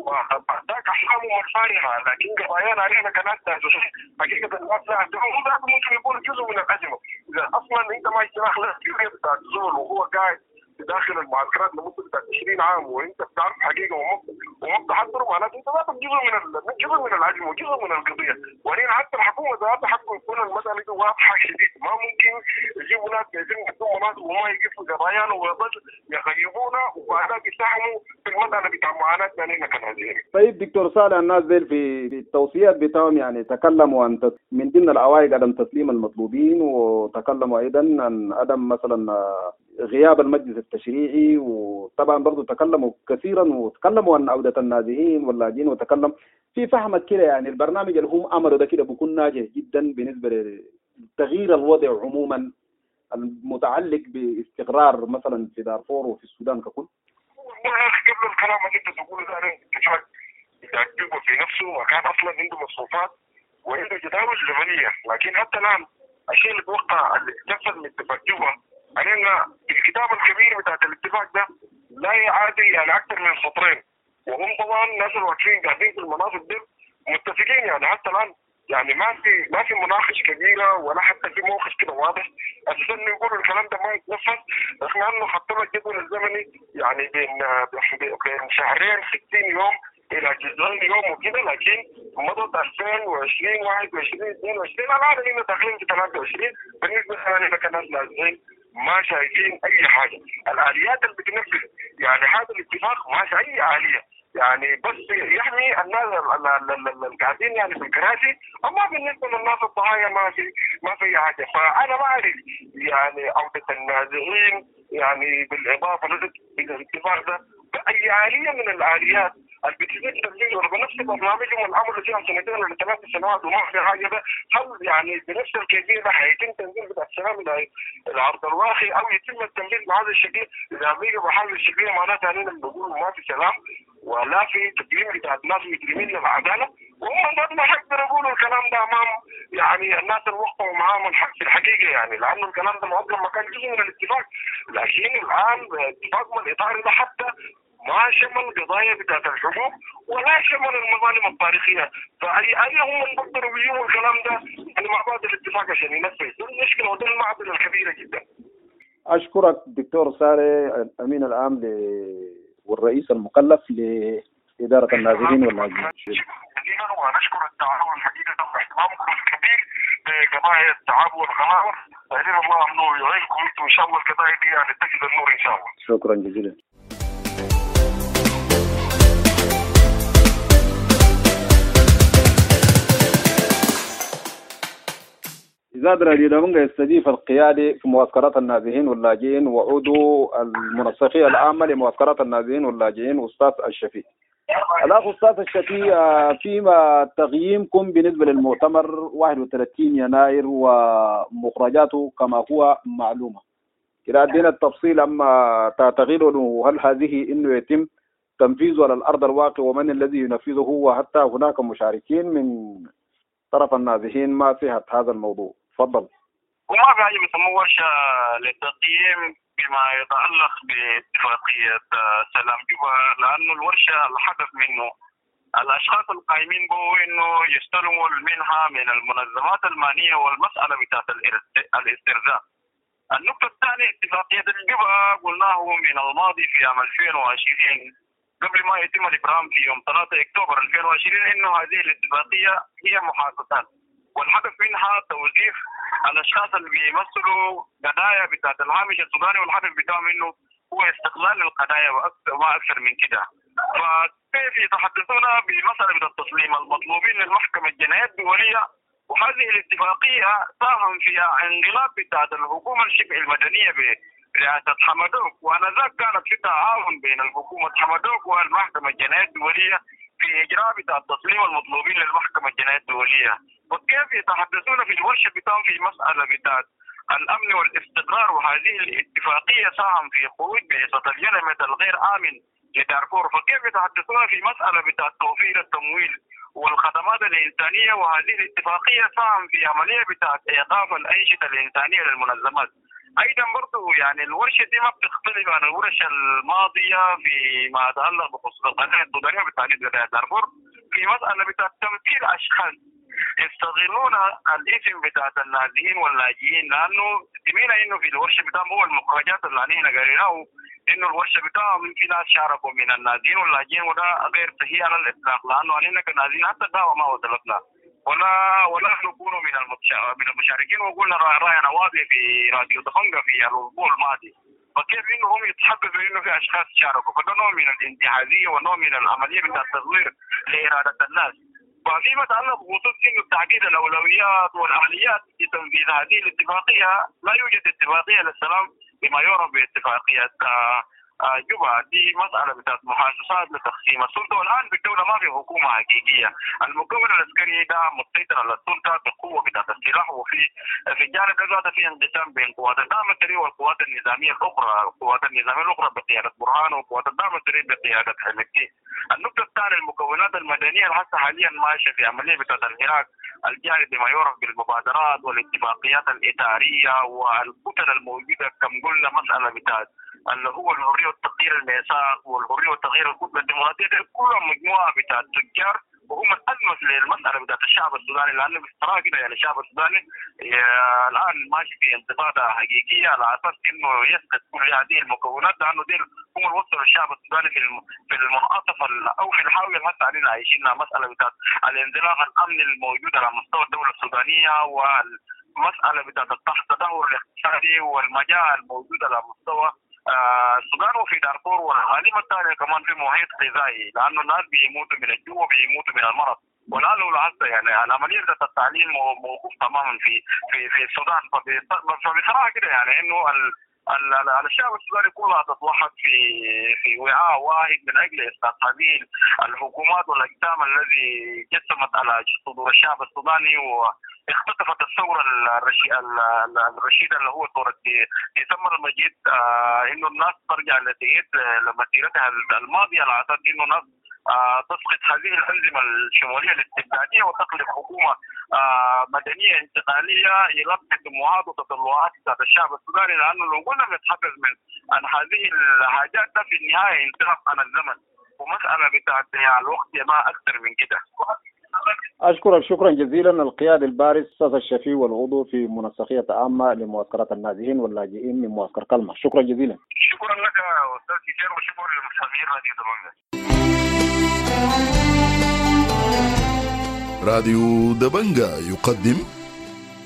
وذاك احلامهم الفارغة، لكن قضايانا علينا كناس حقيقة الناس لا هم ذات ممكن يكونوا جزء من الازمة، اذا اصلا انت ما اشتراك لك بتاع الزول وهو قاعد داخل المعسكرات لمدة عشرين عام وانت بتعرف حقيقة وما بتحضره، معناته انت ذاتك جزء من جزء من العجم وجزء من القضية. وبعدين حتى الحكومة ذاتها حقه يكون المسالة دي واضحة شديد، ما ممكن يجيبوا ناس جايزين يدوهم مناصب وما يقفوا قضايانا ويظل يغيبونا وبعدها يساهموا في المسالة بتاع معاناتنا نحن كنازحين. طيب دكتور صالح، الناس ديل في التوصيات بتاعهم يعني تكلموا عن من ضمن العوائق عدم تسليم المطلوبين، وتكلموا ايضا عن عدم مثلا غياب المجلس التشريعي، وطبعا برضو تكلموا كثيرا وتكلموا عن عودة النازحين واللاجئين، وتكلم في فهمك كده يعني البرنامج اللي هم عملوا ده كده بيكون ناجح جدا بالنسبة لتغيير الوضع عموما المتعلق باستقرار مثلا في دارفور وفي السودان ككل؟ والله يا اخي قبل الكلام اللي انت تقوله ده انا اتفاق بتاع في نفسه وكان اصلا عنده مصروفات وعنده جداول زمنية، لكن حتى الان الشيء اللي توقع اللي تنفذ من اتفاق جوبا علينا الكتاب الكبير بتاعت الاتفاق ده لا يعادل يعني اكثر من سطرين، وهم طبعا الناس اللي واقفين قاعدين في المناصب دي متفقين يعني حتى الان يعني ما في ما في مناقشة كبيرة ولا حتى في موقف كده واضح اساسا انه يقولوا الكلام ده ما يتنفذ، رغم انه حطوا الجدول الزمني يعني بين بين شهرين ستين يوم الى تسعين يوم وكده، لكن مضت ألفين وعشرين واحد وعشرين اثنين وعشرين الان احنا داخلين في ثلاثة وعشرين. بالنسبة لنا كناس نازحين ما شايفين اي حاجة، الاليات اللي بتنفذ يعني هذا الاتفاق ما في اي اليه، يعني بس يحمي الناس اللي قاعدين يعني في الكراسي، اما بالنسبة للناس الضحايا ما في ما في اي حاجة. فانا ما اعرف يعني عوده النازحين يعني بالاضافة للاتفاق ده باي اليه من الاليات اللي بتزيد تنفيذ ولا بنفس برنامجهم الامر فيها سنتين ولا ثلاث سنوات وما في حاجة ده، هل يعني بنفس الكيفية ده حيتم تنفيذ بتاع السلام الى ارض الواقع او يتم التنفيذ بهذا الشكل؟ اذا بقى بهذا الشكل معناتها اننا بنقول ما في سلام ولا في تقييم بتاع الناس مجرمين للعدالة، وهم ما حيقدروا يقولوا الكلام ده امام يعني الناس اللي وقعوا معاهم في الحقيقة، يعني لانه الكلام ده اصلا ما كان جزء من الاتفاق، لكن الان اتفاق الاطار ده حتى ما شمل قضايا بتاعت الحقوق ولا شمل المظالم التاريخية، فاي اي هم اللي بيقدروا يجيبوا الكلام ده يعني مع بعض الاتفاق عشان ينفذ، دي المشكلة ودي المعضلة الكبيرة جدا. اشكرك دكتور صالح الامين العام ل... والرئيس المكلف لادارة النازحين واللاجئين. جزيلا ونشكر التعاون الحقيقة واهتمامكم الكبير بقضايا التعب والغلاوه، سائلين الله انه يعينكم انتم ان شاء الله القضايا دي يعني تجد النور ان شاء الله. شكرا جزيلا. إذاعة راديو دبنجا يستضيف القيادي في معسكرات النازحين واللاجئين وعضو المنسقية العامة لمعسكرات النازحين واللاجئين أستاذ الشفيع. الأخ أستاذ الشفيع، فيما تقييمكم بالنسبة للمؤتمر واحد وثلاثين يناير ومخرجاته كما هو معلومة، كده أدينا التفصيل أما تعتقدون هل هذه إنه يتم تنفيذه على الأرض الواقع ومن الذي ينفذه، وحتى هناك مشاركين من طرف النازحين ما صحة هذا الموضوع؟ تفضل. وما في حاجة بيسموه ورشه للتقييم بما يتعلق باتفاقيه سلام جوبا، لانه الورشة الهدف منه الاشخاص القائمين به انه يستلموا المنحة من المنظمات المعنية والمسالة بتاعت الاسترزاق. النقطة الثانية اتفاقية الجوبا قلناه من الماضي في عام ألفين وعشرين قبل ما يتم الابرام في يوم ثلاثة أكتوبر ألفين وعشرين انه هذه الاتفاقية هي محادثات، والهدف منها توظيف الاشخاص اللي بيمثلوا قضايا بتاعت الهامش السوداني، والهدف بتاعهم انه هو استغلال القضايا وما اكثر من كده. فكيف يتحدثون بمسالة من التسليم المطلوبين للمحكمة الجنائية الدولية، وهذه الاتفاقية ساهم فيها انقلاب بتاعت الحكومة الشبه المدنية برئاسة حمدوك، وانذاك كانت في تعاون بين الحكومة حمدوك والمحكمة الجنائية الدولية في اجراء بتاع التسليم المطلوبين للمحكمة الجنائية الدولية. وكيف يتحدثون في الورشة بتاعهم في مسالة بتاعت الامن والاستقرار، وهذه الاتفاقية ساهم في خروج بعثه الينمت الغير امن لدارفور، فكيف يتحدثون في مسالة بتاعت توفير التمويل والخدمات الانسانية، وهذه الاتفاقية ساهم في عملية بتاعت ايقاف الانشطة الانسانية للمنظمات. ايضا برضه يعني الورشة دي ما بتختلف عن الورشة الماضية فيما يتعلق بخصوص القضية السودانية وبالتحديد قضية دارفور، في مسالة بتاعت تمثيل اشخاص يستغلون الاسم بتاعت النازحين واللاجئين، لانه سمعنا انه في الورشة بتاعهم هو المخرجات اللي احنا قريناه انه الورشة بتاعهم في ناس شاركوا من النازحين واللاجئين، وده غير صحيح على الاطلاق، لانه علينا كنازحين حتى الدعوة ما وصلتنا ولا ولا نكون من من المشاركين، وقلنا راينا واضح في راديو دبنجا في الاسبوع الماضي. فكيف انهم يتحدثوا انه في اشخاص شاركوا؟ فده نوع من الانتهازيه ونوع من العملية بتاع التزوير لارادة الناس. وفيما يتعلق بخصوص انه تعديل الاولويات والاليات في تنفيذ هذه الاتفاقية، لا يوجد اتفاقية للسلام بما يعرف باتفاقيه جوبا، دي مسألة بتاعت محاسسات لتقسيم السلطة، والآن في الدولة ما في حكومة حقيقية، المكون العسكري ده مسيطر على السلطة بقوة بتاعت السلاح، وفي في الجانب ده في انقسام بين قوات الدعم السريع والقوات النظامية الأخرى، القوات النظامية الأخرى بقيادة برهان وقوات الدعم السريع بقيادة حميدتي. النقطة الثانية المكونات المدنية الحاسة حاليا ماشية في عملية بتاعت الحراك الجاري بما يعرف بالمبادرات والاتفاقيات الإدارية والكتل الموجودة، كم قلنا مسألة بتاعت اللي هو الحرية والتغيير الميثاق والحرية والتغيير الكتلة الديمقراطية، دي كلها مجموعة بتاعت تجار وهم الألمس للمسألة بتاعت الشعب السوداني، لأنه بصراحة كده يعني الشعب السوداني الآن ماشي في انتفاضة حقيقية على أساس إنه يسقط كل هذه المكونات، لأنه دي هم اللي وصلوا الشعب السوداني في في المنعطف أو في الحاوية اللي هسه علينا عايشينها، مسألة بتاعت الانزلاق الأمني الموجود على مستوى الدولة السودانية والمسألة بتاعت التدهور الاقتصادي والمجاعة الموجودة على مستوى السودان وفي دارفور، والغالبة الثانية كمان في محيط غذائي، لأنه الناس بيموتوا من الجوع وبيموتوا من المرض. والآن لو لاحظت يعني العملية بتاعت التعليم موقوف تماما في في في السودان. فبصراحة كده يعني إنه الشعب السوداني كلها تتوحد في في وعاء واحد من اجل اسقاط هذه الحكومات والاجسام الذي جسمت على صدور الشعب السوداني واختطفت الثورة الرشيدة اللي هو ثورة ديسمبر المجيد، آه انه الناس ترجع لتعيد لمسيرتها الماضية على اساس انه الناس آه تسقط هذه الأنظمة الشمولية الاستبدادية وتخلق حكومة آه مدنية انتقالية يلبي طموحات وتطلعات بتاعت الشعب السوداني، لأنه لو قلنا بنتحدث من عن هذه الحاجات ده في النهاية انطلاق عن الزمن ومسألة بتاعت الوقت ما أكثر من كده. أشكرك شكرا جزيلا القيادي البارز أستاذ الشفيع والعضو في منسقية عامة لمعسكرات النازحين واللاجئين من معسكر كلمة، شكرا جزيلا. شكرا لك أستاذ كثير وشكرا للمستمعين راديو دبنجا. راديو دبنجا يقدم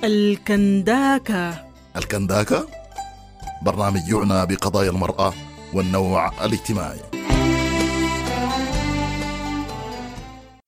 الكنداكا. الكنداكا برنامج يعنى بقضايا المرأة والنوع الاجتماعي.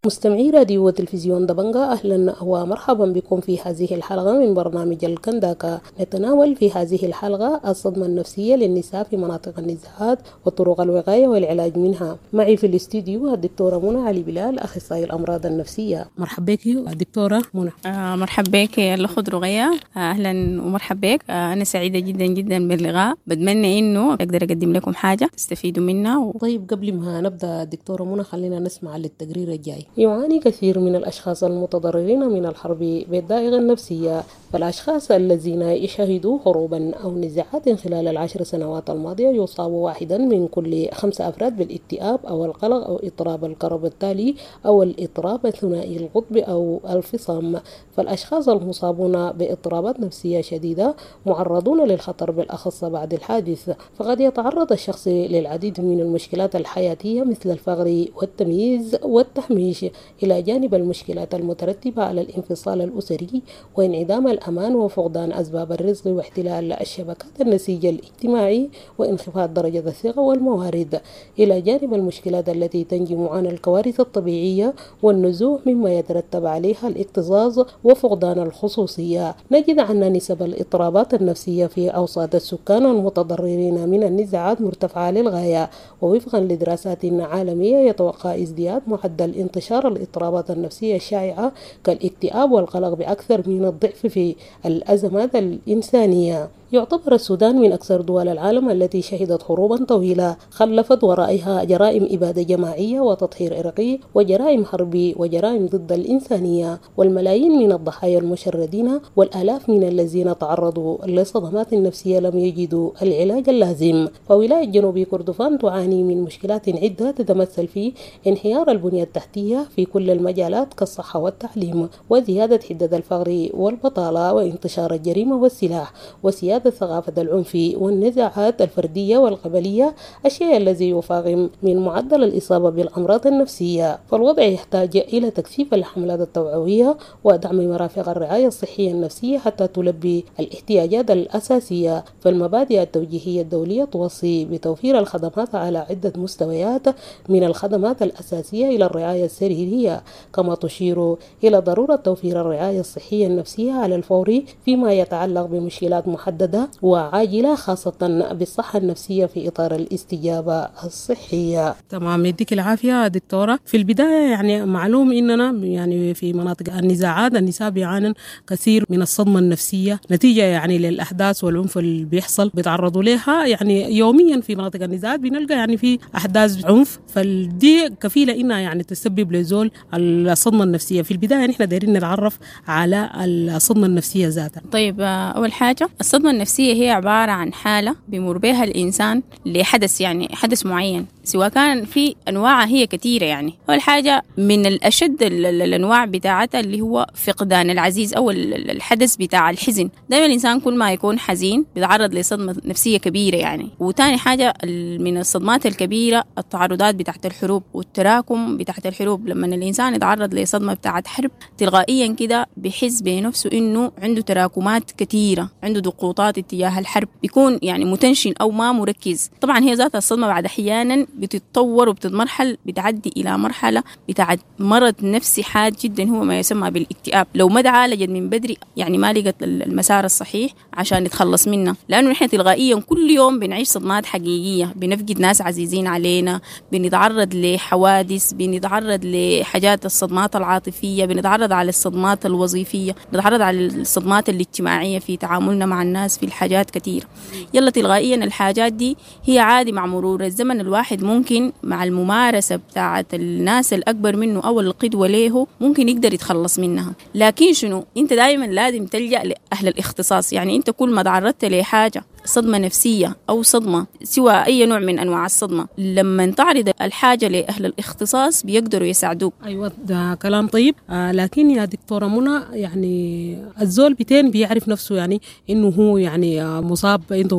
مستمعي راديو وتلفزيون دبنجا، أهلا ومرحبا بكم في هذه الحلقة من برنامج الكنداكا. نتناول في هذه الحلقة الصدمة النفسية للنساء في مناطق النزاعات وطرق الوقاية والعلاج منها. معي في الاستديو الدكتورة منى علي بلال، أخصائي الأمراض النفسية. مرحبا بك دكتورة منى. آه مرحبا بك الأخت رغية، أهلا ومرحبا بك. آه أنا سعيدة جدا جدا باللقاء، بتمنى إنه أقدر أقدم لكم حاجة تستفيدوا منها و... طيب قبل ما نبدأ دكتورة منى خلينا نسمع للتقرير الجاي. يعاني كثير من الأشخاص المتضررين من الحرب بالضائقة النفسية، فالأشخاص الذين يشهدوا حروبا أو نزاعات خلال العشر سنوات الماضية يصاب واحدا من كل خمسة أفراد بالاكتئاب أو القلق أو اضطراب الكرب التالي أو الاضطراب الثنائي القطب أو الفصام. فالأشخاص المصابون باضطرابات نفسية شديدة معرضون للخطر بالأخص بعد الحادث، فقد يتعرض الشخص للعديد من المشكلات الحياتية مثل الفقر والتمييز والتهميش، إلى جانب المشكلات المترتبة على الانفصال الأسري وانعدام الأمان وفقدان أسباب الرزق واحتلال الشبكات النسيج الاجتماعي وانخفاض درجة الثقة والموارد، إلى جانب المشكلات التي تنجم عن الكوارث الطبيعية والنزوح مما يترتب عليها الاكتظاظ وفقدان الخصوصية. نجد أن نسب الاضطرابات النفسية في أوساط السكان المتضررين من النزاعات مرتفعة للغاية، ووفقا لدراسات عالمية يتوقع ازدياد معدل انتشار الاضطرابات النفسية الشائعة كالاكتئاب والقلق بأكثر من الضعف في الأزمات الإنسانية. يعتبر السودان من أكثر دول العالم التي شهدت حروبا طويلة خلفت ورائها جرائم إبادة جماعية وتطهير عرقي وجرائم حرب وجرائم ضد الإنسانية، والملايين من الضحايا المشردين والآلاف من الذين تعرضوا لصدمات نفسية لم يجدوا العلاج اللازم. فولاية جنوب كردفان تعاني من مشكلات عدة تتمثل في انهيار البنية التحتية في كل المجالات كالصحة والتعليم، وزيادة حدة الفقر والبطالة وانتشار الجريمة والسلاح، وسيادة ثقافة العنف والنزاعات الفردية والقبلية، الشيء الذي يفاقم من معدل الإصابة بالأمراض النفسية. فالوضع يحتاج إلى تكثيف الحملات التوعوية ودعم مرافق الرعاية الصحية النفسية حتى تلبي الاحتياجات الأساسية. فالمبادئ التوجيهية الدولية توصي بتوفير الخدمات على عدة مستويات، من الخدمات الأساسية إلى الرعاية السريرية، كما تشير إلى ضرورة توفير الرعاية الصحية النفسية على الفور فيما يتعلق بمشكلات محددة وعاجلة، خاصة بالصحة النفسية في إطار الاستجابة الصحية. تمام، يديك العافية دكتورة. في البداية يعني معلوم إننا يعني في مناطق النزاعات النساء بيعانن كثير من الصدمة النفسية نتيجة يعني للأحداث والعنف اللي بيحصل بيتعرضوا لها يعني يوميا في مناطق النزاعات، بنلقى يعني في أحداث عنف، فدي كفيلة إنها يعني تسبب لزول الصدمة النفسية. في البداية نحن دايرين نتعرف على الصدمة النفسية ذاتها. طيب، أول حاجة الصدمة النفسية هي عبارة عن حالة بيمر بها الإنسان لحدث، يعني حدث معين، سواء كان في أنواع هي كثيرة. يعني أول حاجة من الأشد الأنواع بتاعتها اللي هو فقدان العزيز أو الحدث بتاع الحزن. دائما الإنسان كل ما يكون حزين بيتعرض لصدمة نفسية كبيرة يعني. وتاني حاجة من الصدمات الكبيرة التعرضات بتاعت الحروب والتراكم بتاعت الحروب. لما الإنسان يتعرض لصدمة بتاعت حرب تلقائيا كده بيحس بنفسه إنه عنده تراكمات كثيرة، عنده ضغوطات اتجاه الحرب، بيكون يعني متنشن أو ما مركز. طبعا هي ذات الصدمة بعد أحيانا بتتطور وبتتمرحل، بتعدي إلى مرحلة بتاعت مرض نفسي حاد جدا هو ما يسمى بالاكتئاب. لو ما تعالجت من بدري يعني ما لقت المسار الصحيح عشان نتخلص منه، لأنه نحن تلقائيا كل يوم بنعيش صدمات حقيقية، بنفقد ناس عزيزين علينا، بنتعرض لحوادث، بنتعرض لحاجات الصدمات العاطفية، بنتعرض على الصدمات الوظيفية، بنتعرض على الصدمات الاجتماعية في تعاملنا مع الناس في الحاجات كثيرة. يلا تلقائيا الحاجات دي هي عادي مع مرور الزمن الواحد ممكن مع الممارسة بتاعة الناس الأكبر منه أو القدوة له ممكن يقدر يتخلص منها. لكن شنو، أنت دائما لازم تلجأ لأهل الاختصاص. يعني أنت كل ما تعرضت لحاجة صدمة نفسية أو صدمة سوى أي نوع من أنواع الصدمة، لما تعرض الحاجة لأهل الاختصاص بيقدروا يساعدوك. أيوة، ده كلام طيب. آه لكن يا دكتورة منى، يعني الزول بتين بيعرف نفسه يعني إنه هو يعني مصاب عنده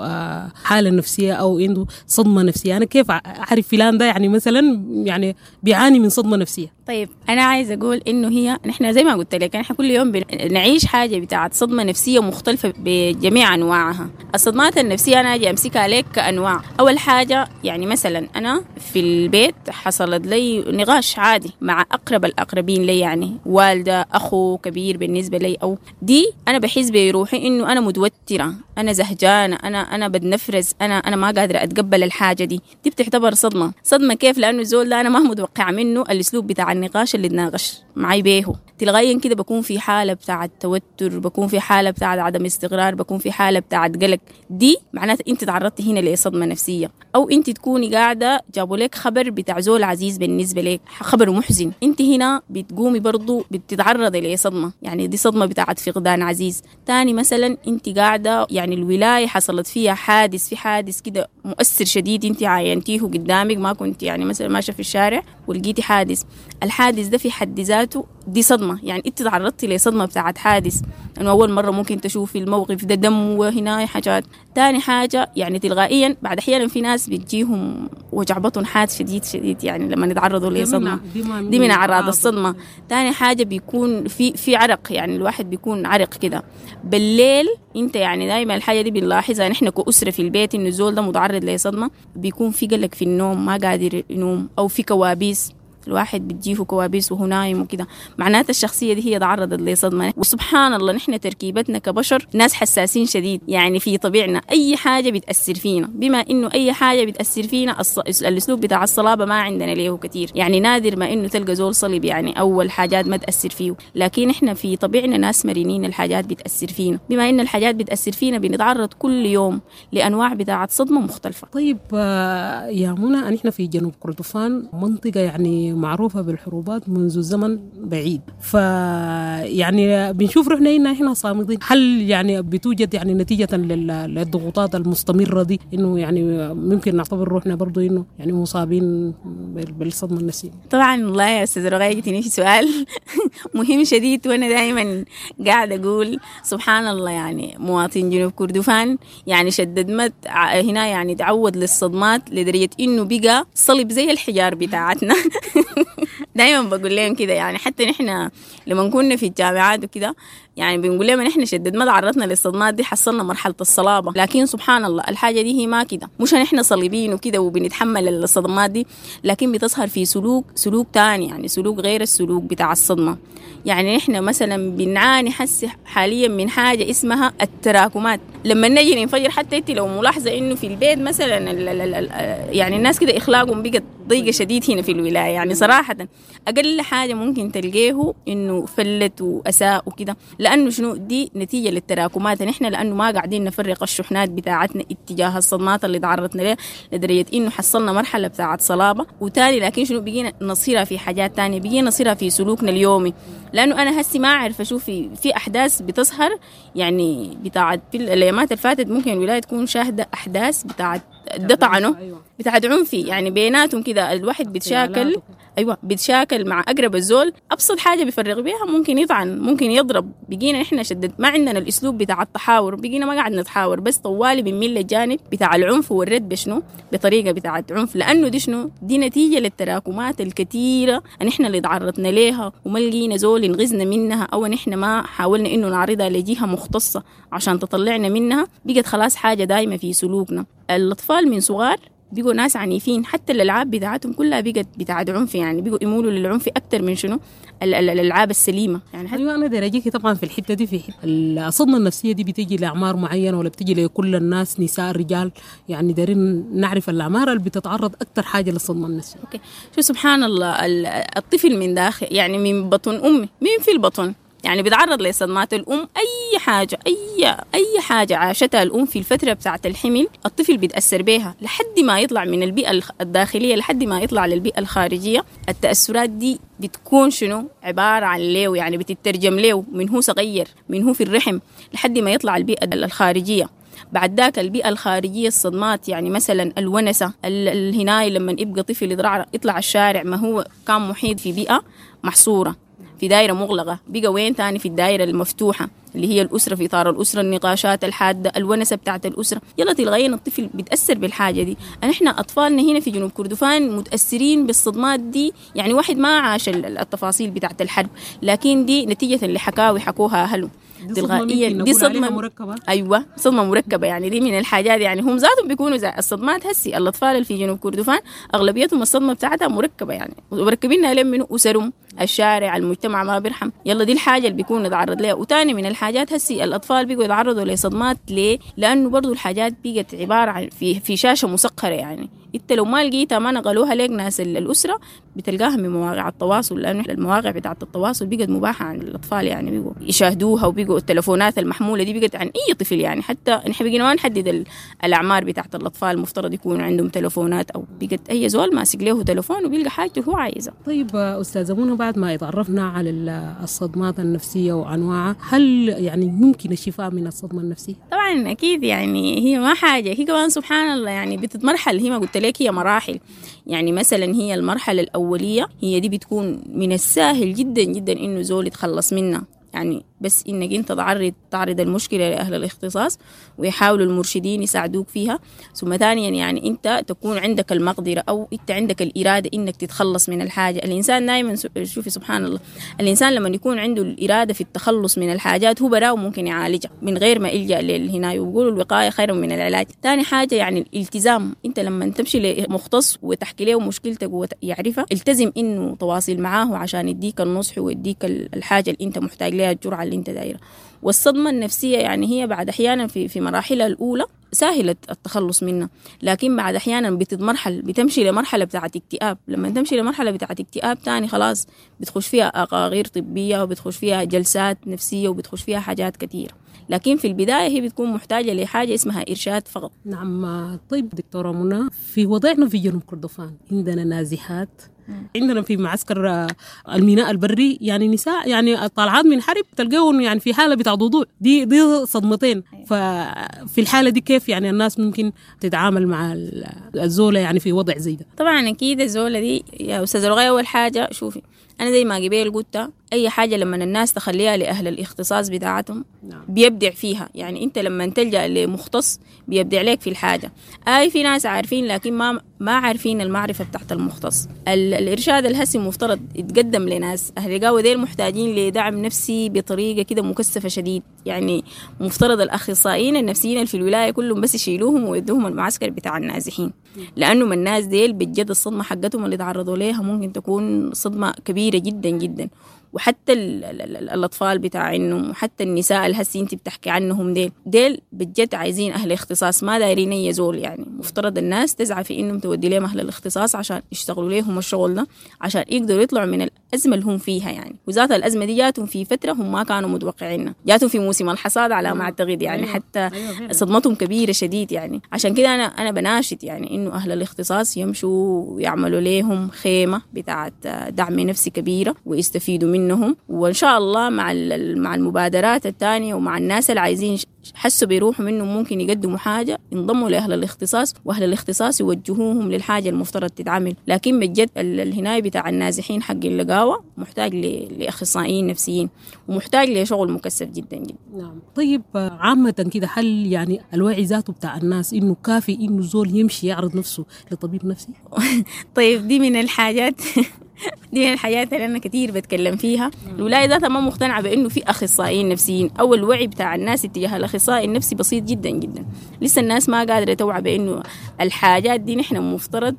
آه حالة نفسية أو عنده صدمة نفسية. أنا كيف أعرف فلان ده يعني مثلا يعني بيعاني من صدمة نفسية؟ طيب، أنا عايز أقول إنه هي نحن زي ما قلت لك نحن كل يوم بنعيش حاجة بتاعت صدمة نفسية مختلفة بجميع أنواعها. الصدمات النفسية أنا أجي أمسكها عليك كأنواع. أول حاجة يعني مثلا أنا في البيت حصلت لي نقاش عادي مع أقرب الأقربين لي، يعني والدة، أخو كبير بالنسبة لي، أو دي أنا بحس بروحي إنه أنا متوترة، انا زهجانه، انا انا بتنفرز، انا انا ما قادرة اتقبل الحاجة دي. دي بتعتبر صدمة. صدمة كيف؟ لانه الزول ده انا ما متوقعه منه الاسلوب بتاع النقاش اللي تناقش معي بيه. تلقائيا كده بكون في حاله بتاعه توتر، بكون في حاله بتاعه عدم استقرار، بكون في حاله بتاعه قلق. دي معناته انت تعرضتي هنا لصدمه نفسية. او انت تكوني قاعدة جابوا لك خبر بتاع زول عزيز بالنسبة لك، خبر محزن، انت هنا بتقومي برضو بتتعرضي لصدمه، يعني دي صدمة بتاعه فقدان عزيز. تاني مثلا انت قاعدة يعني الولاية حصلت فيها حادث، في حادث كده مؤثر شديد انت عاينتيه قدامك، ما كنت يعني مثلا ماشية في الشارع ولقيتي حادث، الحادث ده في حد ذاته دي صدمة، يعني انت تعرضتي لصدمه بتاعت حادث، انه اول مرة ممكن تشوفي الموقف ده، دم وهنا حاجات. تاني حاجة يعني تلقائيا بعد احيانا في ناس بتجيهم وجع بطن حاد شديد شديد يعني لما يتعرضوا لصدمه، دي من اعراض الصدمة. تاني حاجة بيكون في في عرق، يعني الواحد بيكون عرق كده بالليل. انت يعني دايما الحاجة دي بنلاحظها نحن كأسره في البيت، انه الزول ده متعرض لصدمه، بيكون في قلق في النوم، ما قادر ينوم، او في كوابيس، الواحد بتجيه كوابيس وهو نايم وكده. معناته الشخصية دي هي تعرضت لصدمة. وسبحان الله نحن تركيبتنا كبشر ناس حساسين شديد، يعني في طبيعنا أي حاجة بتأثر فينا، بما إنه أي حاجة بتأثر فينا الص... الأسلوب بتاع الصلابة ما عندنا ليه كتير، يعني نادر ما إنه تلقى زول صلب يعني أول حاجات ما تأثر فيه، لكن إحنا في طبيعنا ناس مرنين، الحاجات بتأثر فينا. بما إن الحاجات بتأثر فينا بنتعرض كل يوم لأنواع بتاعة صدمة مختلفة. طيب يا منى، نحن في جنوب كردفان منطقة يعني معروفة بالحروبات منذ زمن بعيد، فيعني بنشوف روحنا هنا احنا صامدين. هل يعني بتوجد يعني نتيجة للضغوطات المستمرة دي انه يعني ممكن نعتبر روحنا برضو انه يعني مصابين بالصدمة النفسية؟ طبعا والله يا استاذ رغاية جتني في سؤال مهم شديد، وانا دائما قاعدة اقول سبحان الله، يعني مواطن جنوب كردفان يعني شدد مت هنا، يعني تعود للصدمات لدرجة انه بقى صلب زي الحجار بتاعتنا. دايما بقول لهم كده، يعني حتى نحن لما كنا في الجامعات وكده يعني بنقول لهم نحن شدد ما تعرضنا للصدمات دي، حصلنا مرحلة الصلابة، لكن سبحان الله الحاجة دي هي ما كده، مش نحن صليبين وكده وبنتحمل الصدمات دي، لكن بتظهر في سلوك سلوك تاني، يعني سلوك غير السلوك بتاع الصدمة. يعني نحن مثلا بنعاني حس حاليا من حاجة اسمها التراكمات، لما نجي ننفجر. حتى انت لو ملاحظة انه في البيت مثلا ال ال ال يعني الناس كده اخلاقهم بقت ضيقة شديد هنا في الولاية، يعني صراحة اقل حاجة ممكن تلقيه انه فلت واساء وكده، لانه شنو دي نتيجة للتراكمات. نحن لانه ما قاعدين نفرق الشحنات بتاعتنا اتجاه الصدمات اللي تعرضنا لها، لدرجة انه حصلنا مرحلة بتاعت صلابة وتاني، لكن شنو بقينا نصيرها في حاجات تانية، بقينا نصيرها في سلوكنا اليومي. لانه انا هسي ما اعرف اشوف في, في احداث بتظهر يعني بتاعت في الايامات اللي فاتت، ممكن الولاية تكون شاهده احداث بتاعت ده طعنه بتاعت عنفي، يعني بيناتهم كده الواحد بيتشاكل، ايوه بيتشاكل مع اقرب الزول، ابسط حاجة بيفرغ بيها ممكن يطعن ممكن يضرب. بقينا احنا شدد ما عندنا الاسلوب بتاع التحاور، بقينا ما قاعد نتحاور، بس طوالي بنميل للجانب بتاع العنف والرد بشنو بطريقة بتاعت عنف، لانه دي شنو دي نتيجة للتراكمات الكثيرة ان احنا اللي تعرضنا ليها وما لقينا زول ينغزنا منها، او نحن ما حاولنا انه نعرضها لجهة مختصة عشان تطلعنا منها، بقت خلاص حاجة دايمه في سلوكنا. الاطفال من صغار بقوا ناس عنيفين، حتى الألعاب بتاعتهم كلها بقت بتاعت عنف، يعني بقوا يمولوا للعنف أكتر من شنو الألعاب السليمة. يعني أيوة أنا داير طبعا في الحتة دي، في حتة الصدمة النفسية دي بتيجي لأعمار معينة ولا بتيجي لكل الناس، نساء رجال؟ يعني دارين نعرف الأعمار اللي بتتعرض أكتر حاجة للصدمة النفسية. okay، شو سبحان الله، الطفل من داخل يعني من بطن أمه، مين في البطن يعني بيتعرض لصدمات الأم، أي حاجة أي أي حاجة عاشتها الأم في الفترة بتاعة الحمل الطفل بيتأثر بيها لحد ما يطلع من البيئة الداخلية لحد ما يطلع للبيئة الخارجية. التأثرات دي بتكون شنو عبارة عن ليه، يعني بتترجم ليه من هو صغير، من هو في الرحم لحد ما يطلع البيئة الخارجية. بعد ذاك البيئة الخارجية الصدمات، يعني مثلا الونسة الهناي لما يبقى طفل يطلع الشارع، ما هو كان محيط في بيئة محصورة في دائرة مغلقة، بقى وين تاني في الدائرة المفتوحة اللي هي الأسرة، في إطار الأسرة النقاشات الحادة، الونسة بتاعت الأسرة، يلا تلغينا الطفل بيتأثر بالحاجة دي. نحن أطفالنا هنا في جنوب كردفان متأثرين بالصدمات دي، يعني واحد ما عاش التفاصيل بتاعت الحرب، لكن دي نتيجة لحكاوي حكوها أهله تلغائيا. دي صدمة مركبة، أيوة صدمة مركبة، يعني دي من الحاجات، يعني هم ذاتهم بيكونوا زي الصدمات هسي الأطفال اللي في جنوب كردفان أغلبيتهم الصدمة بتاعتها مركبة، يعني مركبينها لين من أسرهم، الشارع المجتمع ما بيرحم. يلا دي الحاجة اللي بيكون يتعرض لها. وتاني من الحاجات هسي الاطفال بيقوا يتعرضوا لصدمات. ليه؟ لانه برضو الحاجات بقت عبارة عن في في شاشة مسقره، يعني انت لو ما لقيتها ما نقلوها لك ناس الاسرة بتلقاها من مواقع التواصل، لانه المواقع بتاعه التواصل بقت مباحة عن الاطفال، يعني بقوا يشاهدوها، وبقوا التلفونات المحمولة دي بقت عن اي طفل، يعني حتى نحن بقينا ما نحدد الاعمار بتاعه الاطفال المفترض يكون عندهم تلفونات، او بقت اي زول ماسك له تلفون وبيلقى حاجته هو عايزها. طيب استاذه منى، بعد ما اتعرفنا على الصدمات النفسية وانواعها، هل يعني ممكن الشفاء من الصدمة النفسية؟ طبعا اكيد، يعني هي ما حاجة، هي كمان سبحان الله يعني بتتمرحل، هي ما قلت لك هي مراحل. يعني مثلا هي المرحلة الأولية هي دي بتكون من السهل جدا جدا إنه زول يتخلص منها، يعني بس إنك أنت تعرض تعرض المشكلة لأهل الاختصاص ويحاولوا المرشدين يساعدوك فيها. ثم ثانيا يعني أنت تكون عندك المقدرة أو أنت عندك الإرادة إنك تتخلص من الحاجة. الإنسان دائما شوفي سبحان الله، الإنسان لما يكون عنده الإرادة في التخلص من الحاجات هو براه ممكن يعالجها من غير ما يلجأ للهناية، وبيقولوا الوقاية خير من العلاج. ثاني حاجة يعني الالتزام، أنت لما تمشي لمختص وتحكي له مشكلتك ويعرفها، التزم إنه تواصل معاه عشان يديك النصح ويديك الحاجة اللي أنت محتاج لها، الجرعة اللي انت دايرة. والصدمة النفسية يعني هي بعد أحيانا في في مراحلها الأولى سهلة التخلص منها، لكن بعد أحيانا بتتمرحل، بتمشي لمرحلة بتاعة اكتئاب. لما تمشي لمرحلة بتاعة اكتئاب تاني خلاص بتخش فيها أقاغير طبية، وبتخش فيها جلسات نفسية، وبتخش فيها حاجات كثيرة. لكن في البداية هي بتكون محتاجة لحاجة اسمها إرشاد فقط. نعم. طيب دكتورة منى، في وضعنا في جنوب كردفان عندنا نازحات، عندنا في معسكر الميناء البري يعني نساء يعني طالعات من حرب تلقاهم يعني في حالة بتاع ضوضاء، دي دي صدمتين. ففي الحالة دي كيف يعني الناس ممكن تتعامل مع الزولة يعني في وضع زي ده؟ طبعا أكيد الزولة دي يا أستاذة رغاية، أول حاجة شوفي أنا زي ما قبل قلت، أي حاجة لما الناس تخليها لأهل الاختصاص بتاعتهم نعم. بيبدع فيها. يعني أنت لما تلجأ لمختص بيبدع لك في الحاجة. أي في ناس عارفين لكن ما ما عارفين المعرفة بتاعت المختص. الإرشاد الهسي مفترض يتقدم لناس أهل القهوة ديل محتاجين لدعم نفسي بطريقة كده مكثفة شديد. يعني مفترض الأخصائيين النفسيين في الولاية كلهم بس يشيلوهم ويدوهم المعسكر بتاع النازحين، لأنه من الناس ديل بجد الصدمة حقتهم اللي تعرضوا ليها ممكن تكون صدمة كبيرة جدا جدا. وحتى ال ال ال الأطفال بتاعينهم وحتى النساء الهسي انت بتحكي عنهم ديل ديل بجد عايزين أهل اختصاص، ما دايرين أي زول. يعني مفترض الناس تسعى في إنهم تودي لهم أهل الاختصاص عشان يشتغلوا لهم الشغل ده، عشان يقدروا يطلعوا من الأزمة اللي هم فيها. يعني وذات الأزمة دي جاتهم في فترة هم ما كانوا متوقعينها، جاتهم في موسم الحصاد على ما أعتقد، يعني حتى صدمتهم كبيرة شديد. يعني عشان كده أنا أنا بناشد يعني إنه أهل الاختصاص يمشوا ويعملوا لهم خيمة بتاعة دعم نفسي كبيرة ويستفيدوا منهم. وإن شاء الله مع مع المبادرات الثانية ومع الناس اللي عايزين حسوا بيروحوا منهم ممكن يقدموا حاجة، ينضموا لأهل الاختصاص، وأهل الاختصاص يوجهوهم للحاجة المفترض تتعمل. لكن بجد الهناية بتاع النازحين حق اللقاوة محتاج لأخصائيين نفسيين ومحتاج لشغل مكثف جدا جدا. نعم. طيب عامة كده، هل يعني الوعي ذاته بتاع الناس إنه كافي إنه زول يمشي يعرض نفسه لطبيب نفسي؟ طيب دي من الحاجات دي من الحاجات اللي أنا كتير بتكلم فيها. الولاية ذاتها ما مقتنعة بأنه في أخصائيين نفسيين، أو الوعي بتاع الناس اتجاه الأخصائي النفسي بسيط جدا جدا. لسه الناس ما قادرة توعى بأنه الحاجات دي نحن مفترض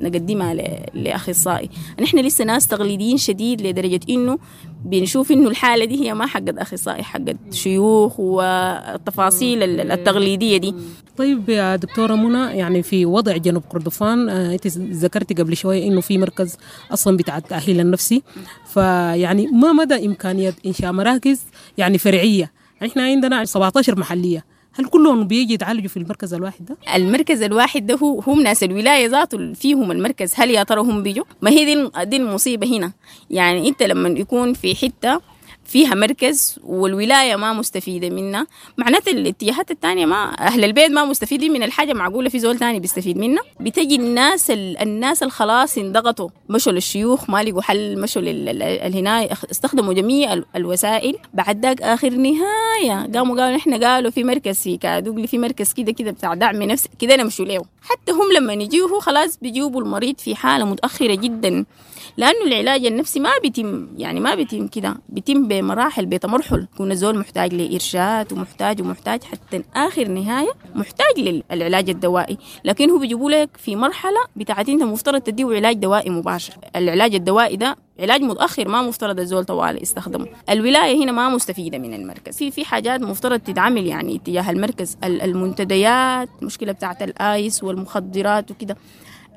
نقدمها لأخصائي. نحن لسه ناس تقليديين شديد لدرجة إنه بنشوف إنه الحالة دي هي ما حقت أخصائي، حقت شيوخ والتفاصيل التقليدية دي. طيب يا دكتورة منى، يعني في وضع جنوب كردفان أنت ذكرتي قبل شوية إنه في مركز أصلا بتاع التأهيل النفسي، فيعني ما مدى إمكانية إنشاء مراكز يعني فرعية؟ إحنا عندنا سبعة عشر محلية، هل كلهم بيجي يتعالجوا في المركز الواحد ده؟ المركز الواحد ده هو هم ناس الولاية ذاته فيهم المركز، هل يا ترى هم بيجوا؟ ما هي دي دي المصيبة هنا. يعني أنت لما يكون في حتة فيها مركز والولاية ما مستفيدة منها، معناته الاتجاهات الثانية ما أهل البيت ما مستفيدين من الحاجة، معقولة في زول تاني بيستفيد منها؟ بتجي الناس ال... الناس الخلاص انضغطوا، مشوا للشيوخ ما لقوا حل، مشوا للهناية، استخدموا جميع الوسائل. بعد ذاك آخر نهاية قاموا قالوا إحنا قالوا في مركز في كادوغلي، في مركز كده كده بتاع دعم نفسي كده نمشوا له. حتى هم لما يجيوه خلاص بيجيبوا المريض في حالة متأخرة جدا، لأنه العلاج النفسي ما بيتم، يعني ما بيتم كده، بيتم بمراحل، بتمرحل. يكون الزول محتاج لإرشاد ومحتاج ومحتاج حتى آخر نهاية محتاج للعلاج الدوائي. لكن هو بيجيبوا لك في مرحلة بتاعت انت مفترض تديه علاج دوائي مباشر. العلاج الدوائي ده علاج متاخر ما مفترض الزول طوالي يستخدمه. الولاية هنا ما مستفيدة من المركز، في في حاجات مفترض تتعمل يعني اتجاه المركز، المنتديات، المشكلة بتاعت الايس والمخدرات وكده،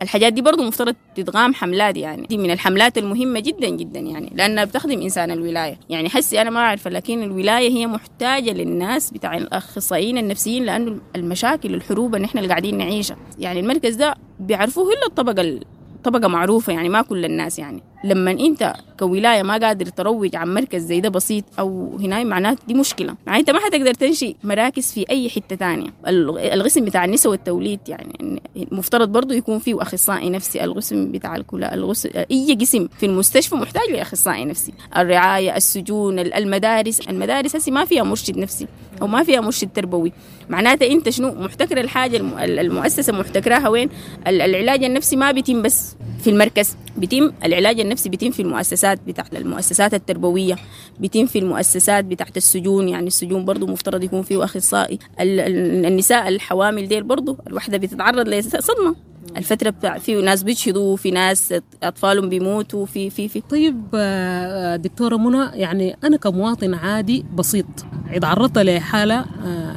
الحاجات دي برضو مفترض تتغام حملات، يعني دي من الحملات المهمة جدا جدا يعني، لأنها بتخدم إنسان الولاية. يعني حسي أنا ما أعرف، لكن الولاية هي محتاجة للناس بتاع الأخصائيين النفسيين، لأنه المشاكل الحروب اللي إحنا اللي قاعدين نعيشها يعني المركز ده بيعرفوه إلا الطبقة طبقة معروفة يعني، ما كل الناس يعني. لما انت كولاية ما قادر تروج عن مركز زي ده بسيط او هنا، معناته دي مشكلة، معناته انت ما حتقدر تنشئ مراكز في اي حتة تانية. القسم بتاع النساء والتوليد يعني المفترض برضو يكون فيه اخصائي نفسي، القسم بتاع الكلى، القسم اي قسم في المستشفى محتاج لاخصائي نفسي، الرعاية، السجون، المدارس. المدارس هسي ما فيها مرشد نفسي او ما فيها مرشد تربوي، معناته انت شنو محتكر الحاجة، المؤسسة محتكراها وين؟ العلاج النفسي ما بيتم بس في المركز، بيتم العلاج النفسي بيتم في المؤسسات بتاعت المؤسسات التربوية، بيتم في المؤسسات بتاعت السجون، يعني السجون برضو مفترض يكون فيه أخصائي. النساء الحوامل ديل برضو الوحدة بتتعرض لصدمة الفترة بتاع، في ناس بيجهضوا، في ناس أطفالهم بيموتوا، في في في طيب دكتورة منى، يعني أنا كمواطن عادي بسيط اتعرضت لحالة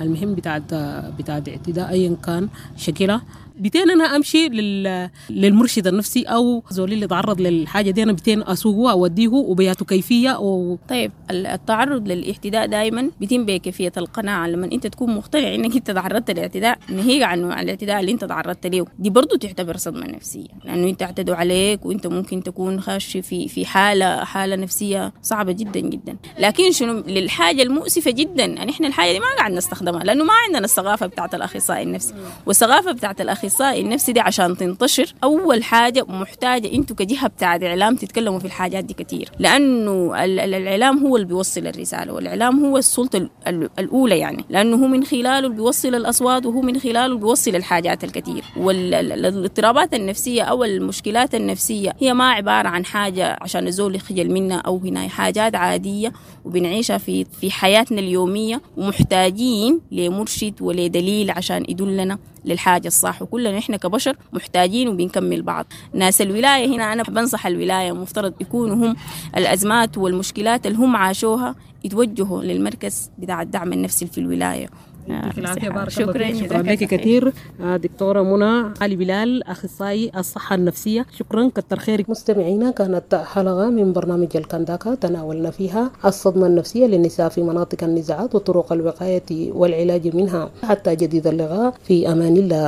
المهم بتاعت بتاعت اعتداء أيا كان شكلها، بتين أنا أمشي لل... للمرشد النفسي أو زولي اللي تعرض للحاجة دي، أنا بتين أسوقه أوديه وبياته كيفية و... طيب التعرض للاعتداء دائما بيتم بكيفية القناعة، لما أنت تكون مقتنع إنك أنت تعرضت للاعتداء، ناهيك عن الاعتداء اللي أنت تعرضت له، دي برضو تعتبر صدمة نفسية، لأنه أنت اعتدوا عليك وأنت ممكن تكون خاش في في حالة حالة نفسية صعبة جدا جدا. لكن شنو للحاجة المؤسفة جدا يعني إحنا الحاجة دي ما قاعد نستخدمها، لأنه ما عندنا الثقافة بتاعت الأخصائي النفسي، والثقافة بتاعت الأخصائي النفسي دي عشان تنتشر أول حاجة محتاجة أنتوا كجهة بتاعت إعلام تتكلموا في الحاجات دي كتير، لأنه الإعلام هو اللي بيوصل الرسالة، والإعلام هو السلطة الأولى يعني، لأنه هو من خلاله اللي بيوصل الأصوات، وهو من خلاله اللي بيوصل الحاجات الكتير. والاضطرابات النفسية أو المشكلات النفسية هي ما عبارة عن حاجة عشان الزول يخجل منها أو هنا، حاجات عادية وبنعيشها في في حياتنا اليومية، ومحتاجين لمرشد ولدليل عشان يدلنا للحاجة الصح، وكلنا إحنا كبشر محتاجين وبنكمل بعض. ناس الولاية هنا أنا بنصح الولاية مفترض يكونوا هم الأزمات والمشكلات اللي هم عاشوها يتوجهوا للمركز بتاع الدعم النفسي في الولاية. يعطيك العافية، بارك الله فيك، شكرا لك كثير دكتورة منى علي بلال أخصائي الصحة النفسية، شكرا كتر خيرك. مستمعينا، كانت حلقة من برنامج الكنداكا تناولنا فيها الصدمة النفسية للنساء في مناطق النزاعات وطرق الوقاية والعلاج منها. حتى جديد اللقاء، في أمان الله.